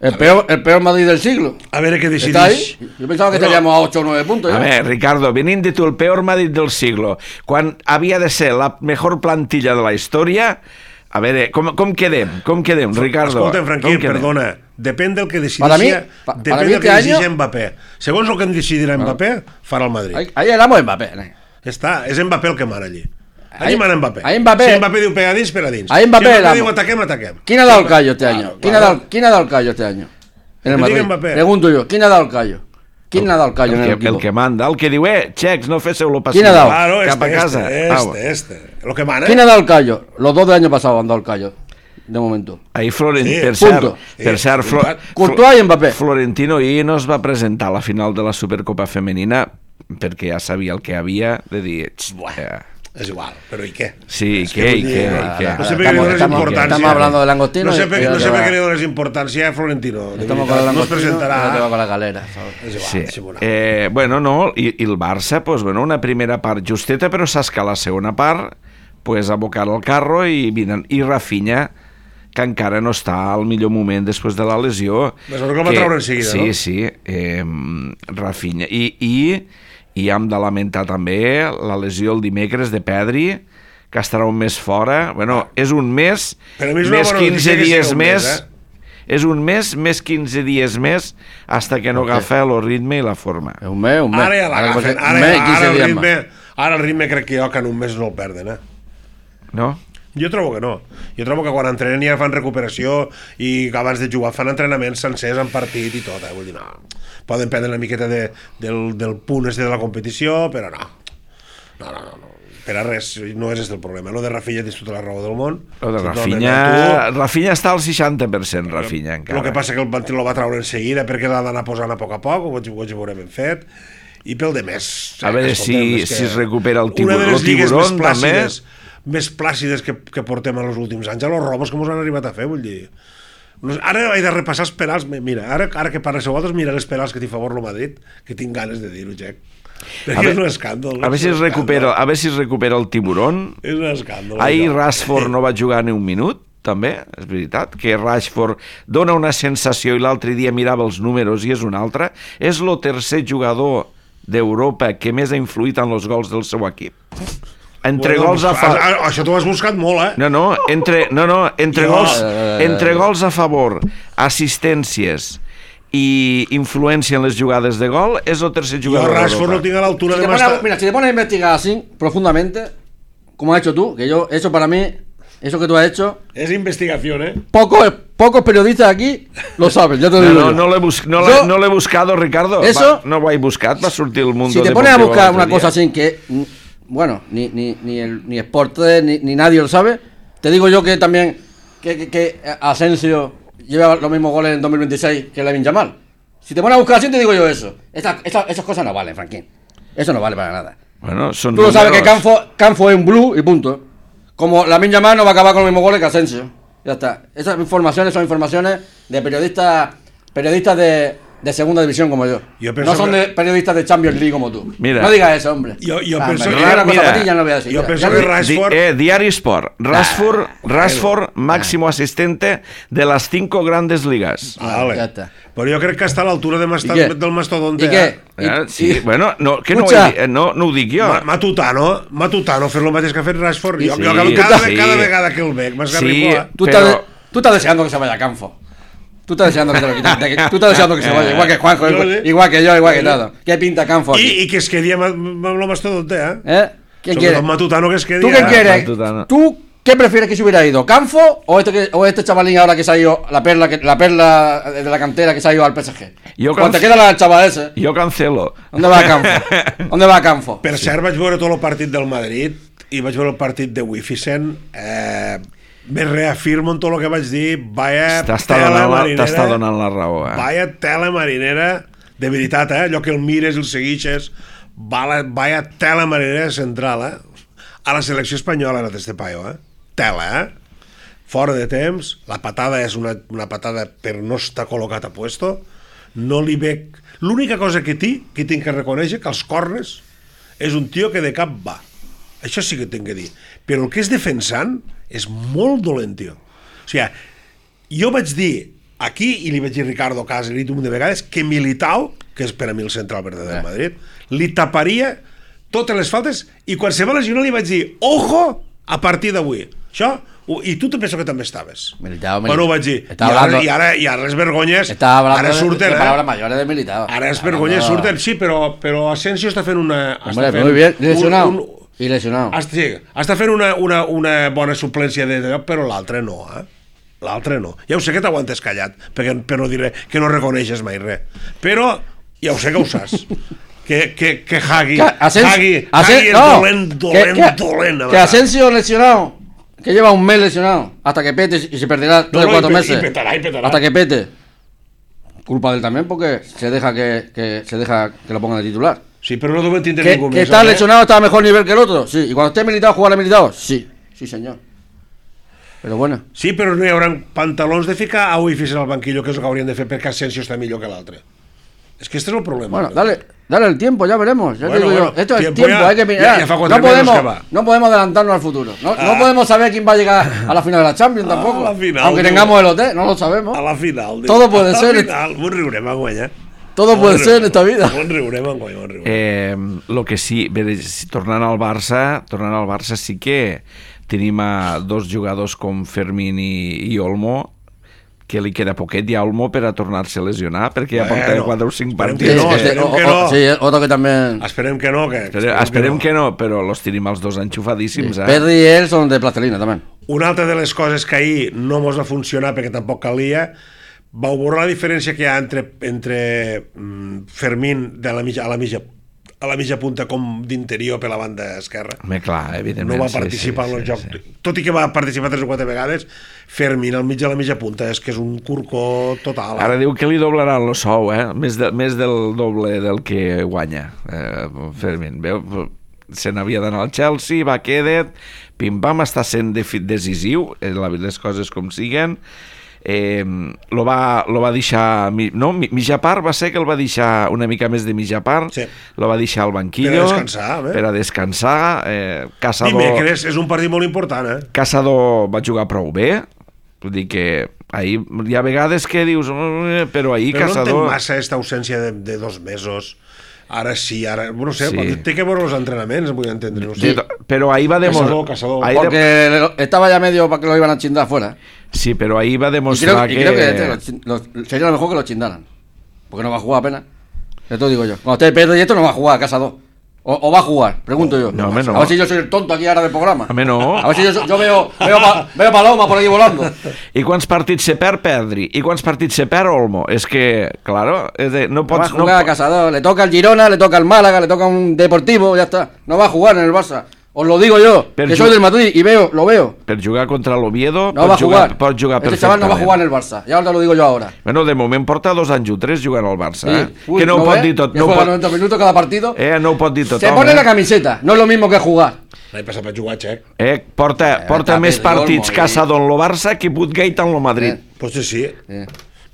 el peor, el peor Madrid del siglo. A veure què ¿Está ahí? decidís. Yo pensaba que Bueno, estaríamos a ocho o nueve puntos. A ya. ver, Ricardo, venint de tu el peor Madrid del siglo, quan havia de ser la mejor plantilla de la història, a veure, com, com quedem? Com quedem, Ricardo? Escolta'm, Franquí, Com quedem? perdona. Depèn del que decideixi, Para mí- pa- depèn para mí del que este decideixi año- Mbappé. Segons el que em decidirà Mbappé, farà el Madrid. Ahí, ahí éramos Mbappé. ¿no? Ja està, és Mbappé el que mana allí. Allí Ahí- mana Mbappé. ahí Mbappé- Si Mbappé diu pega dins, pega dins. Ahí Mbappé si Mbappé l'amo. diu ataquem, ataquem. ¿Quién ha dado el callo este Claro, año? ¿Quién, claro. ha dado, ¿Quién ha dado el callo este año? En el Que diga Madrid. Mbappé. Pregunto yo, ¿quién ha dado el callo? ¿Quién ha dado el callo en el El que, equipo? el que manda, el que diu, eh, xecs, no féssiu-lo passar. ¿Quién ha dado? Claro, Cap este, a casa. este, Ah, este, este. Lo que mana. ¿Quién ha dado el callo? Los dos del año pasado han dado el callo, de momento. Ahir Florent, Sí, per cert, punto. per Sí, cert Flo, veritat. Courtois i Mbappé. Florentino ahir no es va presentar a la final de la Supercopa Femenina perquè ja sabia el que havia de dir... "Xt, eh, És igual, però i què? Sí, És què, vull i dir, què, eh, i què? No sé per què li Estamos- dones estamos- importància. estamos hablando de langostino No sé y- per, y no ya sé te per va- què li dones importància a Florentino. De Estamos veritat, con el no es langostino, ya te va presentarà. con la galera, ¿sabes? És igual, Sí. és igual. Eh, bueno, no, i, i el Barça, pues, bueno, una primera part justeta, però saps que a la segona part pues, abocar el carro i, vinen, i Rafinha, que encara no està al millor moment després de la lesió. Pues el que el va treure en seguida, sí, no? Sí, sí, eh, Rafinha. I, i, i hem de lamentar també la lesió el dimecres de Pedri, que estarà un mes fora. Bueno, és un mes, Per a mi és una més bona quinze notícia que dies sigui un més... mes, eh? És un mes, més quinze dies més, hasta que no Ok. agafa el ritme i la forma. Es un mes, un mes. Ara ja Ahora l'agafen. un Ara, mes y ara, quince el días ritme, más. ara el ritme crec que jo que en un mes no el perden, eh? No? Jo trobo que no. Jo trobo que quan entrenen ja fan recuperació i abans de jugar fan entrenaments sencers en partit i tot, eh? Vull dir, no. Poden prendre una miqueta de, del, del punt este de la competició, però no. No, no, no. no. Per a res, no és este el problema. Lo de Rafinha tens tota la raó del món. Lo de Rafinha... Rafinha està al seixanta per cent, Rafinha, encara. El que passa que el Bantil lo va treure en seguida perquè l'ha d'anar posant a poc a poc, ho veurem ben fet. I pel de més... A veure si, si es recupera el tiburón. Una de les lligues més plàcides, més plàcides que, que portem en els últims anys, a los robos que ens han arribat a fer, vull dir... Ara he de repassar els penals, mira, ara, ara que parles a vosaltres, mira els penals que t'hi favor el Madrid, que tinc ganes de dir-ho, Jack. Perquè és un escàndol. A veure si es recupera, a veure si es recupera el tiburón. És un escàndol. Ahir Rashford no va jugar ni un minut, també, és veritat, que Rashford dona una sensació i l'altre dia mirava els números i és un altre. És el tercer jugador d'Europa que més ha influït en els gols del seu equip. Entre bueno, gols a favor... Això t'ho has buscat molt, eh? No, no, entre, no, no, entre, jo... gols, entre gols a favor, assistències i influència en les jugades de gol, és el tercer jugador d'Europa. Yo Rashford no tiene a la altura si de más... Mira, si te pones a investigar así, profundamente, como has hecho tú, que yo, eso para mí, eso que tú has hecho... Es investigación, ¿eh? Pocos, pocos periodistas aquí lo saben, ya te lo no, digo no, yo. no, l'he bus no, yo, no l'he buscado, Ricardo. Eso... Va, no ho he buscat, va sortir el Mundo Si te Deportivo pones a buscar una día. cosa así que... Bueno, ni, ni, ni, el, ni Sport ni, ni nadie lo sabe. Te digo yo que también que, que, que Asensio lleva los mismos goles en dos mil veintiséis que Lamine Yamal. Si te pones a buscar así, te digo yo eso. Esa, esa, esas cosas no valen, Franquín. Eso no vale para nada. Bueno, son Tú lo sabes que números. Canfo, Canfo es un blue y punto. Como Lamine Yamal no va a acabar con los mismos goles que Asensio. Ya está. Esas informaciones son informaciones de periodistas periodistas de, de segunda división como yo. Yo no son que... de periodistas de Champions League como tú. Mira. No digas eso, hombre. Yo, yo ah, penso que... Mira, Una cosa ya no lo voy a decir. Yo ya, penso ya que no... Rashford... Di, eh, Diario Sport. Rashford, ah, Rashford bueno. máximo ah. asistente de las cinco grandes ligas. Vale. Ya está. Però jo crec que està a l'altura de masta... del mastodonte. I què? Eh? Eh, sí, I... bueno, no, que no, Escucha. ho, no, no ho dic jo. Ma, Matutano, Matutano, fer lo mateix que ha fet Rashford. Sí, Jo, sí, jo cada, sí. cada vegada que el veig m'esgarrifola. Sí, Tú, pero... estás, tú estás deseando que se vaya a Canfo. Tú estás deseando que se lo quiten. De que, tú estás deseando que se vaya. Igual que Juanjo, Yo, igual, ¿sí? igual que yo, igual que todo. ¿Qué pinta Canfo aquí? I, I que es quedi amb, amb lo mastodonte, eh? ¿Eh? ¿Quién Sobretot quiere? Matutano que es quedi... ¿Tú qué eh? quieres? Matutano. ¿Tú qué prefieres que se hubiera ido? ¿Canfo o este, que, o este chavalín ahora que se ha ido, la perla, que, la perla de la cantera que se ha ido al P S G? Yo Cuando canf- te queda la chaval ese, Jo cancelo. ¿dónde va Canfo? ¿Dónde va Canfo? Per cert, vaig veure tot el partit del Madrid i vaig veure el partit de Wificent. Eh, me reafirmo en tot el que vaig dir. Vaya T'està tela donant, la, marinera. t'està donant la raó, eh? Vaya tela marinera. De veritat, eh? Allò que el mires i el seguixes. Vaya, vaya tela marinera central, eh? A la selecció espanyola ha anat este paio, eh? Tela, eh? Fora de temps. La patada és una, una patada per no estar col·locat a puesto. No li veig... L'única cosa que té, que tinc que reconèixer, que els corners és un tio que de cap va. Això sí que tinc que dir. Però el que és defensant és molt dolent, tio. O sigui, jo vaig dir aquí, i li vaig dir a Ricardo Cas, li he dit un de vegades, que Militao, que és per a mi el central verd del Madrid, li taparia totes les faltes, i quan se va lesionar li vaig dir, ojo, a partir d'avui. Això, i tu te penso que també estaves. Militao, Bueno, ho vaig dir. I Estaba ara, hablando, i, ara, I ara les vergonyes estaba hablando ara de, surten, de eh? palabras mayores de Militao. Ara les Hablando- vergonyes surten, sí, però, però Asensio està fent una... Hombre, està fent muy bien, un- lesionado. un- Y lesionado. Està, sí, està fent una, una, una bona suplència de lloc, però l'altre no, eh? L'altre no. Ja ho sé que t'aguantes callat, perquè, per no dir que no reconeixes mai res. Però ja ho sé que ho saps. Que, que, que Hagi, Que Asens- Hagi, Asen- Hagi és no, dolent, que- dolent, que- dolent. Que Asensio lesionado, que lleva un mes lesionado, hasta que pete y se perderá tres o no, cuatro y pe- meses. y petará, y petará. Hasta que pete. Culpa de él también porque se deja que, que se deja que lo pongan de titular. Sí, però no deu entendre Que, ningú que més. está eh? lesionado, está a mejor nivel que el otro. Sí, y cuando esté militado, jugará militado. Sí, sí, señor. Pero bueno. Sí, però no hi haurà pantalons de ficar a Wificent al banquillo, que és el que haurien de fer perquè Asensio està millor que l'altre. És que este és el problema. Bueno, dale, dale el tiempo, ya veremos. Ya Bueno, te digo bueno, yo. Esto es tiempo tiempo, ya- hay que ya- mirar. ya fa cuatro no, meses podemos, que va. no podemos adelantarnos al futuro. No, Ah. no podemos saber quién va a llegar a la final de la Champions tampoco. a la final, Aunque no. tengamos el hotel, no lo sabemos. A la final. Diu. Todo puede a ser. A la final. Bon riurem, enguany, eh? Todo puede Bon ser en riurem. esta vida. Bon riurem, enguany, bon riurem. Eh, lo que sí, bé, si- tornant al Barça, tornant al Barça sí que tenim a dos jugadors com Fermín i, i Olmo, que li queda poquet ja a Olmo per a tornar-se a lesionar, perquè ja porta Bueno, quatre o cinc esperem partits. que no, que- esperem o- que o- no. Sí, eh, otro que también. Esperem que no, que... Esperem, esperem que no, però los tenim els dos enxufadíssims, eh? Perry y él son de plastilina también. Una altra de les coses que ahir no mos va funcionar perquè tampoc calia, vau veure la diferència que hi ha entre, entre mm, Fermín de la mitja, a, la mitja, a la mitja punta com d'interior per la banda esquerra. Home, clar, evidentment. No va participar sí, sí, en el sí, joc. Sí. Tot i que va participar tres o quatre vegades, Fermín al mig de la mitja punta és que és un curcó total. Ara diu que li doblaran el sou, eh? Més, de, més del doble del que guanya eh, Fermín. Veu? Se n'havia d'anar al Chelsea, va quedat, pim-pam, està sent decisiu, les coses com siguen. Eh, lo, va, lo va deixar... No, mitja part va ser que el va deixar una mica més de mitja part, sí. Lo va deixar al banquillo. Per a descansar, eh? Per a descansar. Eh, Caçador... Dimecres és un partit molt important, eh? Caçador va jugar prou bé, vull dir que ahir hi ha vegades que dius però ahir però Caçador... Però no entenc massa aquesta ausència de, de dos mesos. Ara sí, ara... No sé, sí. Té que veure els entrenaments, vull entendre. No sé. Sí, però ahí va demostrar... Caçador, caçador. Porque de... estaba ya medio para que lo iban a chindar afuera. Sí, pero ahí va a demostrar y que... Y creo que este, lo, lo, sería lo mejor que lo chindaran. Porque no va a jugar apenas. Esto digo yo. Cuando esté Pedro y esto no va a jugar a Caçador. O, o va a jugar, pregunto yo. No, no. A ver si yo soy el tonto aquí ahora del programa. A mi no. A ver si yo, yo veo, veo, pa, veo Paloma por ahí volando. I quants partits se perd, perdri. I quants partits se perd, Olmo. És que, claro, és de, no pots... No va a jugar no... a Caçador. Le toca al Girona, le toca al Málaga, le toca a un Deportivo, ya está. No va a jugar en el Barça. Os lo digo yo, per que soy del Madrid y veo, lo veo. Per jugar contra l'Oviedo no va a jugar. Jugar, pot jugar este chaval no va a jugar en el Barça, ya os lo digo yo ahora. Bueno, de moment porta dos anys o tres jugant al Barça, sí. eh? Uy, que no, no ho pot ve? dir tot. Ja no juega pot... noventa minutos cada partido. Eh, no ho pot dir tot. Se pone eh? la camiseta, no es lo mismo que jugar. L'any passat vaig jugar, Xec. Eh, porta eh, porta més partits Caçador en lo Barça que Putgate en lo Madrid. Eh. Pues sí. Eh.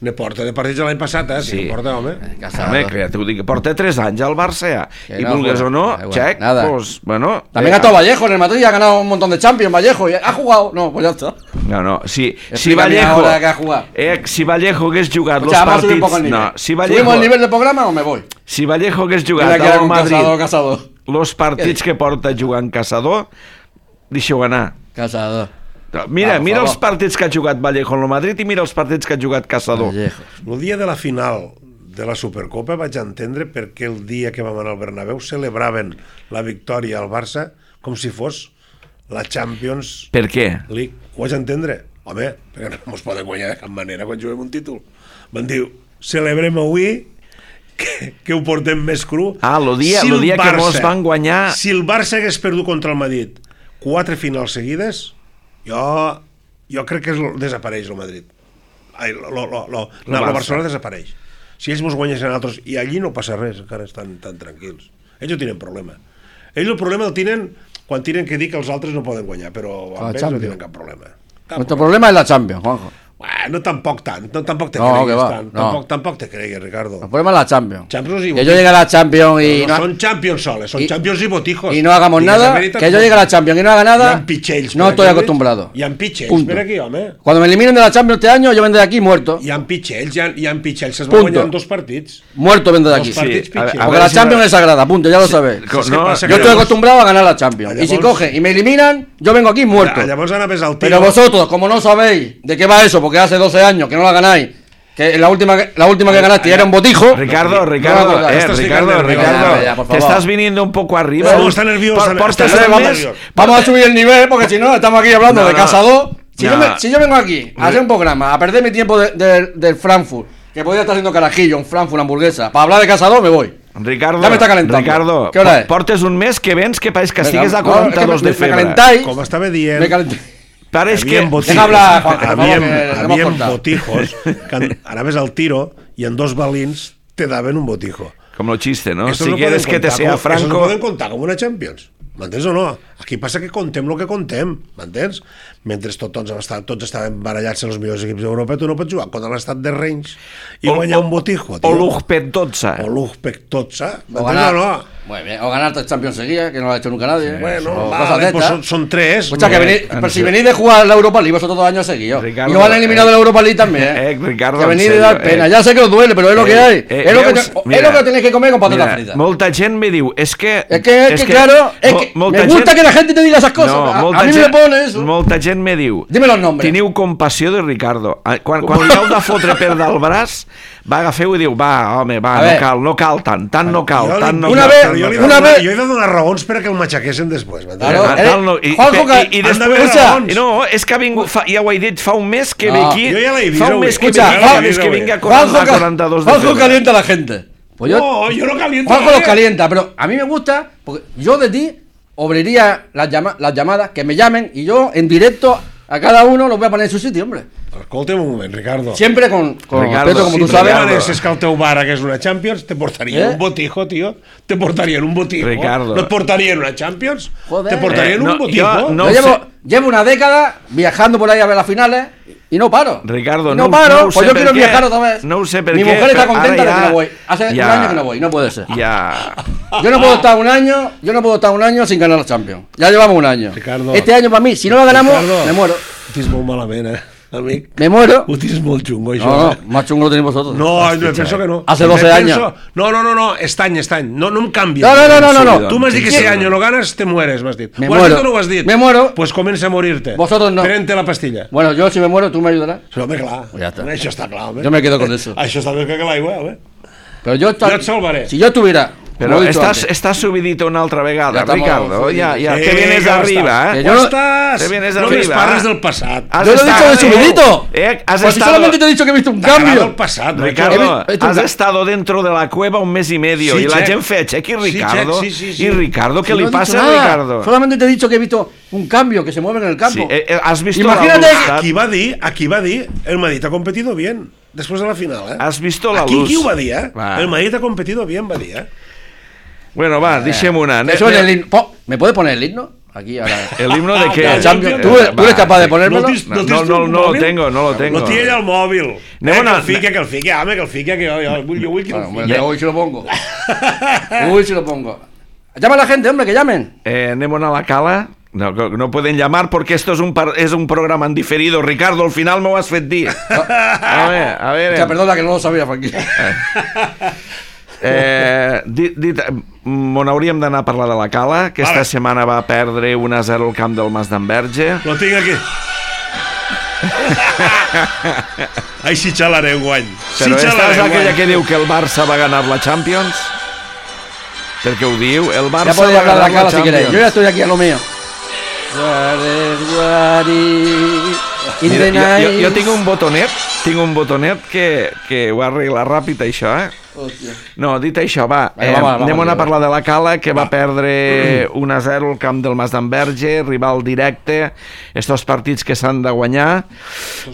Ne porta de partits l'any passat, eh? Sí. Si porta, home. Eh, home, que t'ho dic, porta tres anys al Barça ja. Que I no, vulgues o no, eh, Xec, nada. Pues, bueno... También eh, ha estado Vallejo en el Madrid, ha ganado un montón de Champions, Vallejo, y ha jugado... No, pues ya está. No, no, si, si Vallejo... Que ha jugado. Eh, si Vallejo hagués jugat o sea, los partits... No, si Vallejo... ¿Subimos el nivel del programa o me voy? Si Vallejo hagués jugat al Madrid... Caçador, Caçador. Los partits que porta jugant Caçador, deixeu anar. Caçador. Mira, Va, mira favor. els partits que ha jugat Vallejo en el Madrid i mira els partits que ha jugat Caçador. Vallejo. El dia de la final de la Supercopa vaig entendre perquè el dia que vam anar al Bernabéu celebraven la victòria al Barça com si fos la Champions Per què? League. Ho vaig entendre? Home, perquè no ens poden guanyar de cap manera quan juguem un títol. Van dir, celebrem avui que, que ho portem més cru. Ah, el dia, si el dia Barça, que mos van guanyar... Si el Barça hagués perdut contra el Madrid quatre finals seguides... Jo, jo crec que és, desapareix el Madrid. Ai, lo, lo, lo, lo, no, el Barcelona desapareix. Si ells mos guanyessin altres... I allí no passa res, encara estan tan tranquils. Ells no tenen problema. Ells el problema el tenen quan tenen que dir que els altres no poden guanyar, però amb ells no tenen cap problema. Cap Nuestro problema es la Champions, Juanjo. Bueno, tampoc tant, no, tampoc te no, cregues va, tant, no. tampoc, tampoc te cregues, Ricardo. El problema es la Champions. Champions y que yo llegue a la Champions y... No, no, no son Champions soles, son y, Champions y botijos. Y no hagamos y nada, que yo llegue a la Champions y no haga nada, no estoy acostumbrado. Hi ha pitxells Punto. per aquí, home. Cuando me eliminen de la Champions este año, yo vendré de aquí muerto. Hi ha pitxells, hi ha, hi ha pitxells, es van guanyar dos partits. Muerto vendré de aquí. Dos partits Sí, pitxells. a- a Porque la si Champions va- es sagrada, punto, ya lo Sí, sabéis. co- no, pasa Yo que estoy llavors- acostumbrado a ganar la Champions. Y si Llavors- cogen y me eliminan, yo vengo aquí muerto. Llavors anaves al tiro. Pero vosotros, como no sabéis de qué va eso, porque hace doce años que no la ganáis, que la última, la última que ganaste ya era un botijo. Ricardo, Ricardo, No, eh, estás Ricardo, ficando nervioso. Ricardo, Ya, ya, por te favor. estás viniendo un poco arriba. No, está nervioso, Por- está portes nervioso. un mes- nervioso. Vamos a subir el nivel, porque si no, estamos aquí hablando No, de no. Caçador. Si, No. yo me- si yo vengo aquí a hacer un programa, a perder mi tiempo de- de- del Frankfurt, que podría estar haciendo carajillo, un Frankfurt, una hamburguesa, para hablar de Caçador, me voy. Ricardo, Ya me está calentando. Ricardo, ¿Qué hora es? portes un mes que vens que pareix que Venga, estigues a no, quaranta-dos es que me- de me febre. calentáis. Com estava dient... Me calenté. Pareix que... Havíem botijos, Deja hablar, Juan, por favor, havíem, que nos hemos havíem cortado. botijos, que anaves al tiro i en dos balins te daven un botijo. Com lo chiste, ¿no? Eso Si no quieres poden que te contar sea com- Eso no franco... poden contar com una Champions. M'entens o no? Aquí passa que contem el que contem, m'entens? Mentre tot, tots, estaven, tots estaven barallats els millors equips d'Europa, tu no pots jugar contra l'estat de Rennes i O- guanyar o- un botijo, O tio. l'Ugpet dotze. O l'Uzbek Totsa, O m'entens ganar, o no? muy bien, o ganar tres Champions seguidas, que no lo ha hecho nunca nadie. Bueno, o vale, cosas de pues estas. son, son tres. Escucha, que no? venís, en pero si serio. venís de jugar la Europa League vosotros dos años seguidos. Ricardo, Y os han eliminado eh, de la Europa League también. eh, ¿eh? Ricardo, que en venís de serio, dar pena. eh. Ya sé que os duele, pero es lo que Eh, hay. eh, es, lo que veus? te- Mira, es lo que tenéis que comer con patatas Mira, fritas. molta gent me diu, és que... Es que, es que, claro, es mo- que molta me gusta gent- que la gente te diga esas cosas. No, a, molta a mí gent, me pone eso. Molta gent me diu... Dime los nombres. Teniu compassió de Ricardo. Ah, Quan, quan li heu de fotre per dalt el braç, va agafar i diu, va, home, va, A no ver. cal, no cal tant, tant no cal, jo li- tant no Una cal. vez, Però jo, li he Una de donar, vez- jo he de donar raons per a que el matxaquessin després. m'entens? Claro, Ah, eh, tal, no, i, Juanjo, que- i, i han després... d'haver escucha, raons. No, és que ha vingut, fa, ja ho he dit, fa un mes que ve No. aquí, Jo ja l'he vist, fa un avui. mes que ve Escucha, aquí, Juanjo, fa un mes que vinga a Juanjo, quaranta, ca- quaranta dos de Juanjo febrero. calienta a la gente. Pues yo, No, yo no caliento. Juanjo a los nadie. calienta, pero a mí me gusta, porque yo de ti obriría las, llama- las llamadas, que me llamen, y yo en directo a cada uno los voy a poner en su sitio, hombre. Escolta'm un moment, Ricardo. Siempre con, con Ricardo, respeto, como si tú te sabes. Si és que el teu bar hagués una Champions, te portarien Eh? un botijo, tio. Te portarien un botijo. Ricardo. No et portarien una Champions? Joder. Te portarien Eh, no, un botijo. jo no- Yo sé. llevo, llevo una década viajando por ahí a ver las finales y no paro. Ricardo, Y no- no paro, no ho pues sé yo per quiero què. viajar otra vez. No ho sé per Mi què, mujer está però contenta ara de que ja- no voy. Hace ja- un año que no voy, no puede ser. Ja... Yo no puedo estar un año, yo no puedo estar un año sin ganar la Champions. Ya llevamos un año. Ricardo. Este año para mí, si no la ganamos, Ricardo. me muero. Ho tens molt malament, eh, amic? Me muero. Ho tens molt xungo, això. No, no, eh? más chungo lo tenéis vosotros. No, no, penso que no. Hace doce Penso- años. No, no, no, no, este any, este any. No, no em canvies. No, no, no, no, no, no. Tu m'has dit que si ¿Quién? año no ganes, te mueres, m'has dit. Me Ho has muero. dit o no ho has dit? Me muero. Pues comença a morir-te. Vosotros no. Prente la pastilla. Bueno, yo si me muero, tú me ayudarás. Però, home, clar. Ja està. Això està clar, home. Yo me quedo con eso. Això està més que l'aigua, home. Pero yo, Jo et salvaré. si yo tuviera. Però como he dicho estàs, antes, estàs subidito una altra vegada, Ja estamos Ricardo. subiditos. Ja, ja Sí, te vienes ja arriba, estàs. eh? Que yo Jo no- estàs. Te vienes Només arriba. parles del passat. Has Yo lo he dicho de estado- subidito. Eh, has Pues si estado- solamente te he dicho que he visto un T'agrada el cambio. passat, Ricardo, He visto- has estado dentro de la cueva un mes y medio Sí, y la check. gent fe check i Sí, Ricardo. check, sí, sí, sí. I Ricardo, ¿qué Si le no he dicho pasa, nada. Ricardo? Solamente te he dicho que he visto un cambio, que se mueve en el campo. Sí, eh, eh, has visto Imagínate la que- luz, Aquí va dir, aquí va dir, el Madrid ha competido bien después de la final, eh? Has visto la aquí, luz. Aquí ho va dir, eh? Va. El Madrid ha competido bien, va dir, eh? Bueno, va, deixem una. Que suene el himno. Po- ¿Me puede poner el himno? Aquí ahora. El himno de qué? Ah, El Champions. Va, ¿Tú, tú eres capaz de ponérmelo? tens- No, tens no, tu no, no lo mòbil? tengo, no lo tengo. No tiene el mòbil. Anem Eh, una- que el fique, que el fique, home, que el fique, que jo, jo, vull, jo vull que el Bueno, fique. bueno, hoy se lo pongo. Uy, se lo pongo. Llama a la gente, hombre, que llamen. Eh, anem a la cala. No, no pueden llamar porque esto es un, par- es un programa en diferido. Ricardo, al final m'ho has fet dir. A ver, a ver. O sea, perdona que no lo sabía, Frankie. Eh, dit, dit, on hauríem d'anar a parlar de la cala. Aquesta Vale. setmana va perdre un a zero al camp del Mas d'Enverge. Lo tinc aquí. Ai, si xalaré guany. Si Però esta xalaré és aquella guany. que diu que el Barça va ganar la Champions. Perquè ho diu, el Barça Ya podéis va hablar de ganar la cala la si queréis. Champions. Yo ya estoy aquí a lo mío. In Mira, the jo, jo, night. jo tinc un botonet, tinc un botonet que, que ho arregla ràpid, això, eh? Hòstia. No, dit això, va, Vinga, eh, va, va, va, anem va, a va. parlar de la Cala, que va perdre un a zero al camp del Mas d'Enverge, rival directe, estos partits que s'han de guanyar,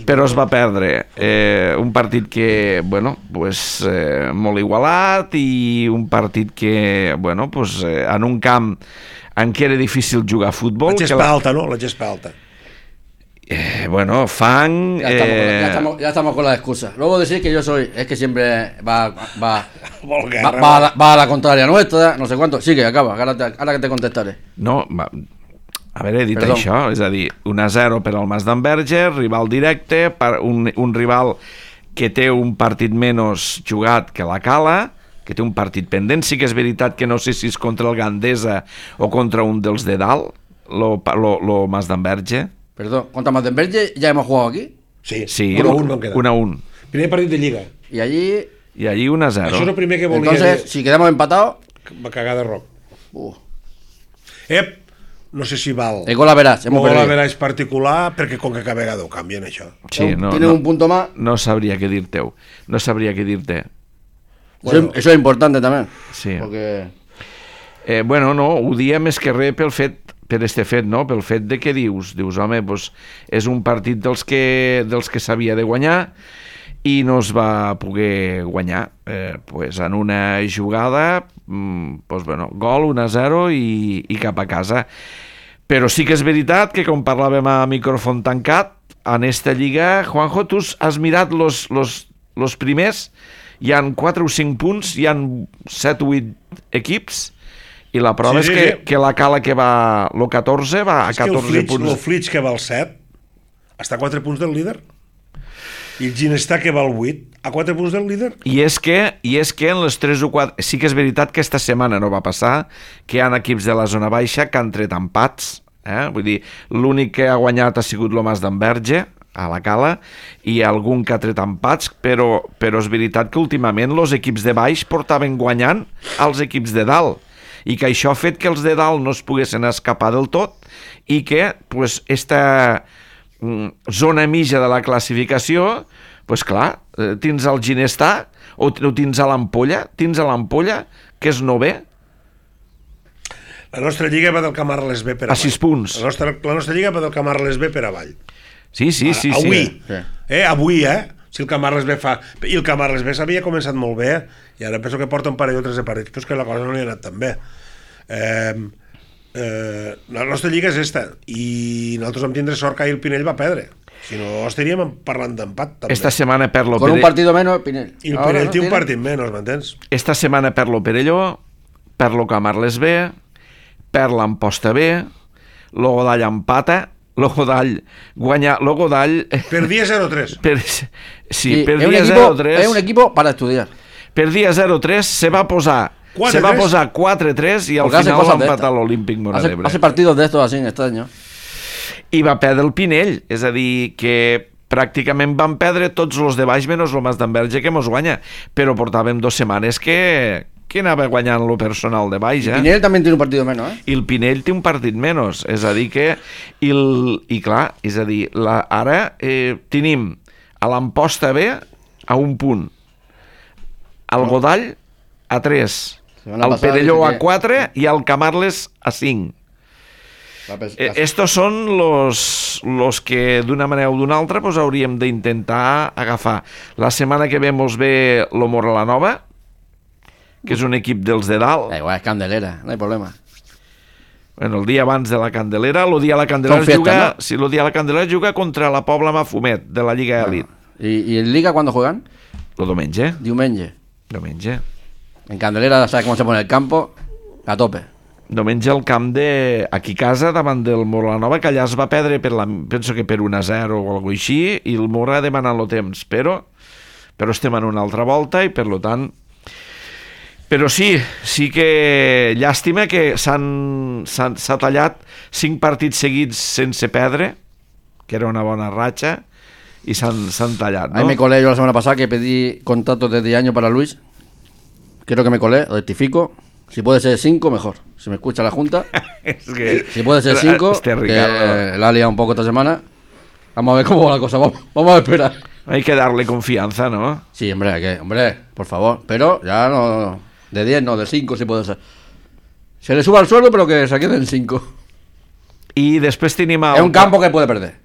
però es va perdre. Eh, un partit que, bueno, pues, eh, molt igualat i un partit que, bueno, pues, eh, en un camp en què era difícil jugar a futbol. La que gespa alta, no? La gespa alta. Eh, bueno, fang... Ya, estamos, con la- eh, ya, estamos, ya estamos con las excusas. Luego decir que yo soy, es que siempre va, va, Molt va, guerra. va, a la, va a la contraria nuestra, no sé cuánto. Sigue, acaba, ahora, te, ahora que te contestaré. No, va, a veure, he dit Perdó. això, és a dir, un a zero per al Mas d'Enverge, rival directe, per un, un rival que té un partit menys jugat que la Cala, que té un partit pendent. Sí que és veritat que no sé si és contra el Gandesa o contra un dels de dalt, lo, lo, lo Mas d'Enverge. Perdón, contra Mazdenberge ya hemos jugado aquí. Sí, Sí, un a un vam quedar. un a un. Primer partit de Lliga. Y allí, I allí un a zero. Això és el primer que volia entonces, si quedamos empatados, dir. Va cagar de roc. uh, Ep, no sé si val. el gol a verás, hemos Gol a perdido. veràs particular, perquè com que cada vegada ho canvien, això. Sí, no, Tiene no, un punto más. no sabria què dir-te. No sabria què dir-te. Eso, eso es importante también. Sí. Porque Eh, bueno, no, ho dia més que res pel fet, per este fet, no? Pel fet de que dius, dius, home, doncs és un partit dels que, dels que s'havia de guanyar i no es va poder guanyar. Eh, pues en una jugada, mm, pues bueno, gol, un a zero i, i cap a casa. Però sí que és veritat que, com parlàvem a micròfon tancat, en esta lliga, Juanjo, tu has mirat los, los, los primers, hi han quatre o cinc punts, hi han set o vuit equips, i la prova Sí, és sí, que, sí. que la Cala que va lo catorze va a És que el catorze Flitch, punts. el Flitch que va al set està a quatre punts del líder. I el Ginestà que va al vuit a quatre punts del líder. I és que, i és que en les tres o quatre... Sí que és veritat que esta setmana no va passar, que hi ha equips de la zona baixa que han tret empats. Eh? Vull dir, l'únic que ha guanyat ha sigut lo Mas d'Enverge, a la Cala, i algun que ha tret empats, però, però és veritat que últimament els equips de baix portaven guanyant als equips de dalt. i que això ha fet que els de dalt no es poguessin escapar del tot i que pues, esta mm, zona mitja de la classificació, pues clar, eh, tens el Ginestà o, o tens a l'Ampolla, tens a l'Ampolla, que és novè. La nostra lliga va del Camarles B per avall. A sis punts. La nostra, la nostra lliga va del Camarles B per avall. Sí, sí, sí. Ara, avui, sí. eh, avui, eh? Si el Camarles B fa... I el Camarles B s'havia començat molt bé, i ara penso que porta un parell o tres de partits, però és que la cosa no li ha anat tan bé. Eh, eh, la nostra lliga és esta, i nosaltres vam tindre sort que ahir el Pinell va perdre. Si no, estaríem parlant d'empat, també. Esta setmana per lo Con un Perelló... partido menos, Pinell. I el Ahora, Pinell ¿no? té un Tiene- partit menys, m'entens? Esta setmana per lo Perelló, per lo Camarles B, per l'Amposta B, lo Godall empata, lo Godall guanya, lo Godall... Perdia zero tres. Per, sí, Sí, per es un dia equipo- zero tres... Es un equipo para estudiar. Per dia zero tres se va posar quatre se va tres. posar quatre tres i al Porque hace final cosas va de empatar estas. l'Olímpic Móra Hace, d'Ebre. hace partidos de estos así extraños. I va perdre el Pinell, és a dir, que pràcticament van perdre tots els de baix menys el Mas d'Enverge que mos guanya, però portàvem dues setmanes que, que anava guanyant lo personal de baix, eh? Pinell también tiene un partido menos, ¿eh? I el Pinell té un partit menys, és a dir que i, el, i clar, és a dir la, ara eh, tenim a l'Amposta B a un punt, al Godall a tres, Semana al pasada Perelló dice a que- quatre i al Camarles a cinc. Eh, estos són los, los que d'una manera o d'una altra pues, hauríem d'intentar agafar. La setmana que ve mos ve lo Moralanova, que és un equip dels de dalt. Da igual, es Candelera, no hay problema. Bueno, el dia abans de la Candelera, el dia de la Candelera Són fiestas, juga, ¿no? sí, el dia de la Candelera juga contra la Pobla Mafumet de la Lliga Elite. ¿Y, y en Liga cuándo juegan? El diumenge, Diumenge. diumenge. En Candelera, ¿sabes cómo se pone el campo? A tope. Diumenge al camp de... aquí a casa, davant del Moralanova, que allà es va perdre, per la, penso que per un a zero o alguna així, i el Mora demanant el temps, però, però estem en una altra volta i per lo tant... Però sí, sí que llàstima que s'han s'han- s'ha tallat cinc partits seguits sense perdre, que era una bona ratxa, i s'han s'han tallat, Ahí no? me colé yo la semana pasada que pedí contratos de diez años para Luis. Creo que me colé, rectifico. Si puede ser cinco, mejor. Si me escucha la Junta. És que... Si puede ser cinco, Este que Ricardo, la ha liado un poco esta semana. Vamos a ver cómo va la cosa. Vamos, vamos a esperar. hay que darle confianza, ¿no? Sí, hombre, hay que, hombre, por favor. Pero ya no. De diez, no, de cinco si puede ser. Se le suba el sueldo, pero que se quede en cinco. I després tenim el, Es un campo que puede perder.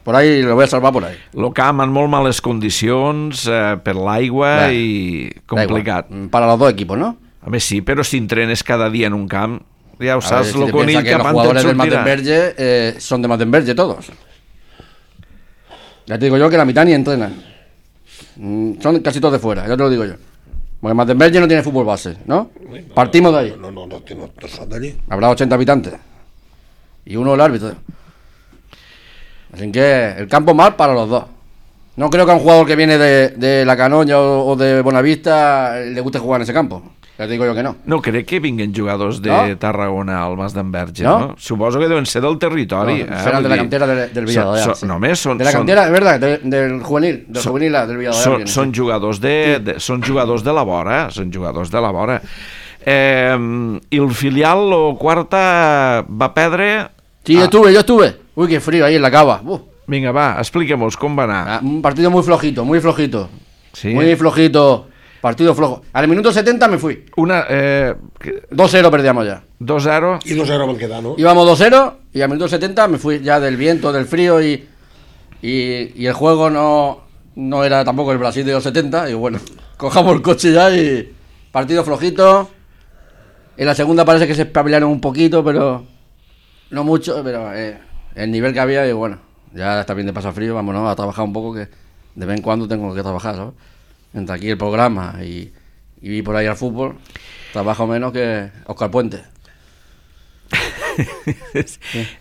Por ahí lo voy a salvar por ahí. el camp en molt males condicions, eh, per l'aigua Bé, i Da complicat. igual. Para los dos equipos, ¿no? A més sí, però si entrenes cada dia en un camp, ja ho A ver, saps, si lo te conill piensas que los cap jugadores del sortirà. Matenverge eh, son de Matenverge todos. Ya te digo yo que la mitad ni entrenan. Mm, Son casi todos de fuera, ya te lo digo yo. Porque Matenverge no tiene fútbol base, ¿no? Partimos de ahí. No, no, no, no, no són d'allí. Habrá ochenta habitantes. Y uno el árbitro. Así que el campo mal para los dos. No creo que a un jugador que viene de, de La Canolla o, o de Bonavista le guste jugar en ese campo. Ya te digo yo que no. No crec que vinguin jugadors de No? Tarragona al Mas d'Enverge, no? No? Suposo que deuen ser del territori. No, eh? serán Vull de la dir, cantera de- del Villarreal. Són, sí. són, només són, de la són, cantera, es verdad, de- del juvenil, del Són- juvenil del Villarreal. són, viene, sí. són jugadors de, de, són jugadors de la vora, són jugadors de la vora. Eh, I el filial, o quarta, va perdre... Sí, yo Ah, estuve, yo estuve. Uy, qué frío ahí en la cava. Uf. vinga, va, expliquem-nos com va anar. Ah, un partido muy flojito, muy flojito. Sí. Muy flojito. Partido flojo. Al minuto setenta me fui. Una, eh, que- dos cero perdíamos ya. dos zero. I dos zero van quedar, no? Íbamos dos cero y al minuto setenta me fui ya del viento, del frío y, y, y el juego no, no era tampoco el Brasil de los setenta. Y bueno, cojamos el coche ya y partido flojito. En la segunda parece que se espabilaron un poquito, pero no mucho. Pero eh, el nivel que había y bueno, ya está bien de pasar frío, vámonos a trabajar un poco que de vez en cuando tengo que trabajar, ¿sabes? Entre aquí el programa y, y ir por ahí al fútbol, trabajo menos que Óscar Puente.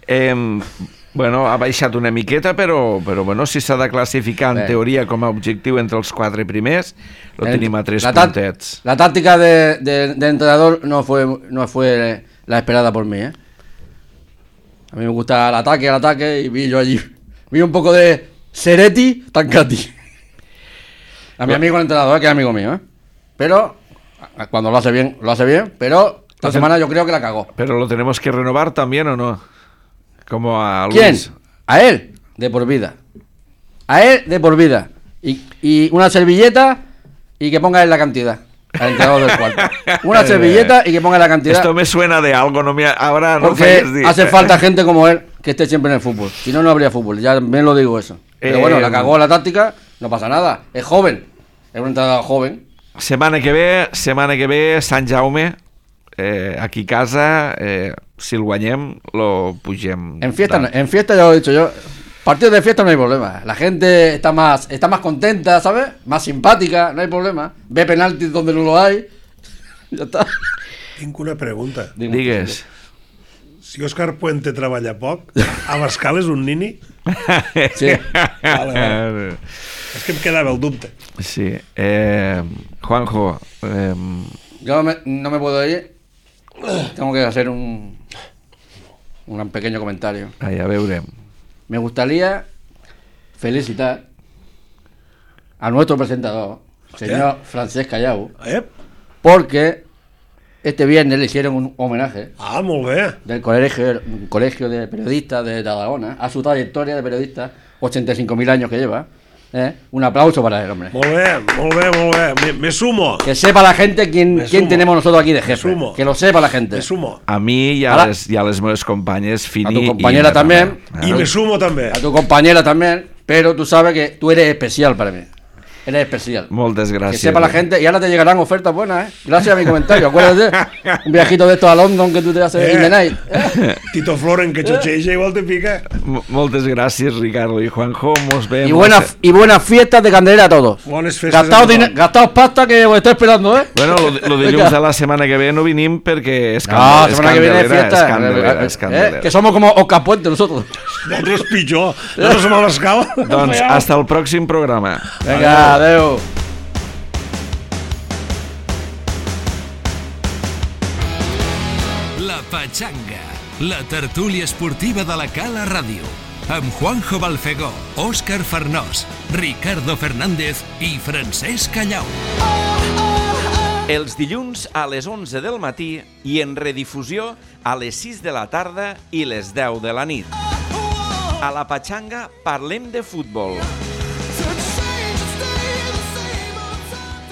eh, bueno, ha baixat una miqueta, però, però bueno, si s'ha de classificar en Bé. teoria com a objectiu entre els quatre primers, lo El- tenim a tres la tá- puntets. La táctica de, de, de entrenador no fue, no fue la esperada por mí, ¿eh? A mí me gusta el ataque, el ataque, y vi yo allí. Vi un poco de Seretti, Tancati. A mi amigo el entrenador, que es amigo mío, ¿eh? Pero, a- cuando lo hace bien, lo hace bien, pero Esta semana yo creo que la cagó. Pero lo tenemos que renovar también, ¿o no? Como a Luis. ¿Quién? A él, de por vida. A él, de por vida. Y, y una servilleta y que ponga en la cantidad. Al entrenador del cuarto. Una servilleta y que ponga en la cantidad. Esto me suena de algo, no me ahora no Porque falles dir. hace falta gente como él que esté siempre en el fútbol. Si no, no habría fútbol. Ya me lo digo eso. Pero Eh, bueno, la cagó la táctica, no pasa nada. Es joven. Es un entrenador joven. Setmana que ve, setmana que ve, Sant Jaume, eh, aquí a casa, eh, si el guanyem, lo pugem. En fiesta, no- dalt. en fiesta ya lo he dicho yo. Partidos de fiesta no hay problema. La gente está más, está más contenta, ¿sabes? Más simpática, no hay problema. Ve penaltis donde no lo hay. Ya está. Tinc una pregunta. Dime. Digues. Si Òscar Puente treballa poc, Abascal és un nini? Sí. Vale, vale. És que em quedava el dubte. Sí. Eh, Juanjo, eh, Yo me- no me puedo ir. Tengo que hacer un, un pequeño comentario. ai, a veure. Me gustaría felicitar a nuestro presentador, señor Francesc Callau, Eh? porque este viernes le hicieron un homenaje Ah, molt bé. del colegio, un colegio de periodistas de Tarragona a su trayectoria de periodista, ochenta y cinco mil años que lleva. ¿eh? Un aplauso para el hombre. Molt bé, molt bé, molt bé. Me, me sumo. Que sepa la gente quién, Me quién sumo. tenemos nosotros aquí de jefe. sumo. Que lo sepa la gente. Me sumo. A mi i a, Ara- les, i a les meves companyes, Fini A tu i compañera Natana. también. I Ah. me sumo també. A tu compañera también, pero tú sabes que tú eres especial para mí. Eres especial. Moltes Que gràcies. sepa la gente, y ahora te llegarán ofertas buenas, ¿eh? Gracias a mi comentario. Acuérdate, un viajito de estos a London que tú te haces Eh. in the night. ¿eh? Tito Floren, que xotxeja, igual te pica. M- Moltes gràcies, Ricardo i Juanjo. Mos vemos. Y buenas, y buenas fiestas de Candelera a todos. Bones festes. Gastaos, a dine- tothom. gastaos pasta que os estoy esperando, ¿eh? Bueno, lo, lo dilluns de la setmana que ve no vinim perquè és, No, candel, és semana que viene candelera, fiesta. és candelera, és ¿eh? candelera. Que somos como Oscar Puente nosotros. Nosaltres pitjor. Nosaltres som a l'escala. Doncs hasta el pròxim programa. Venga, adeu. La Pachanga, la tertúlia esportiva de la Cala Ràdio, amb Juanjo Balfegó, Òscar Farnós, Ricardo Fernández i Francesc Callau. Els dilluns a les onze del matí i en redifusió a les sis de la tarda i les deu de la nit. A la Pachanga parlem de futbol.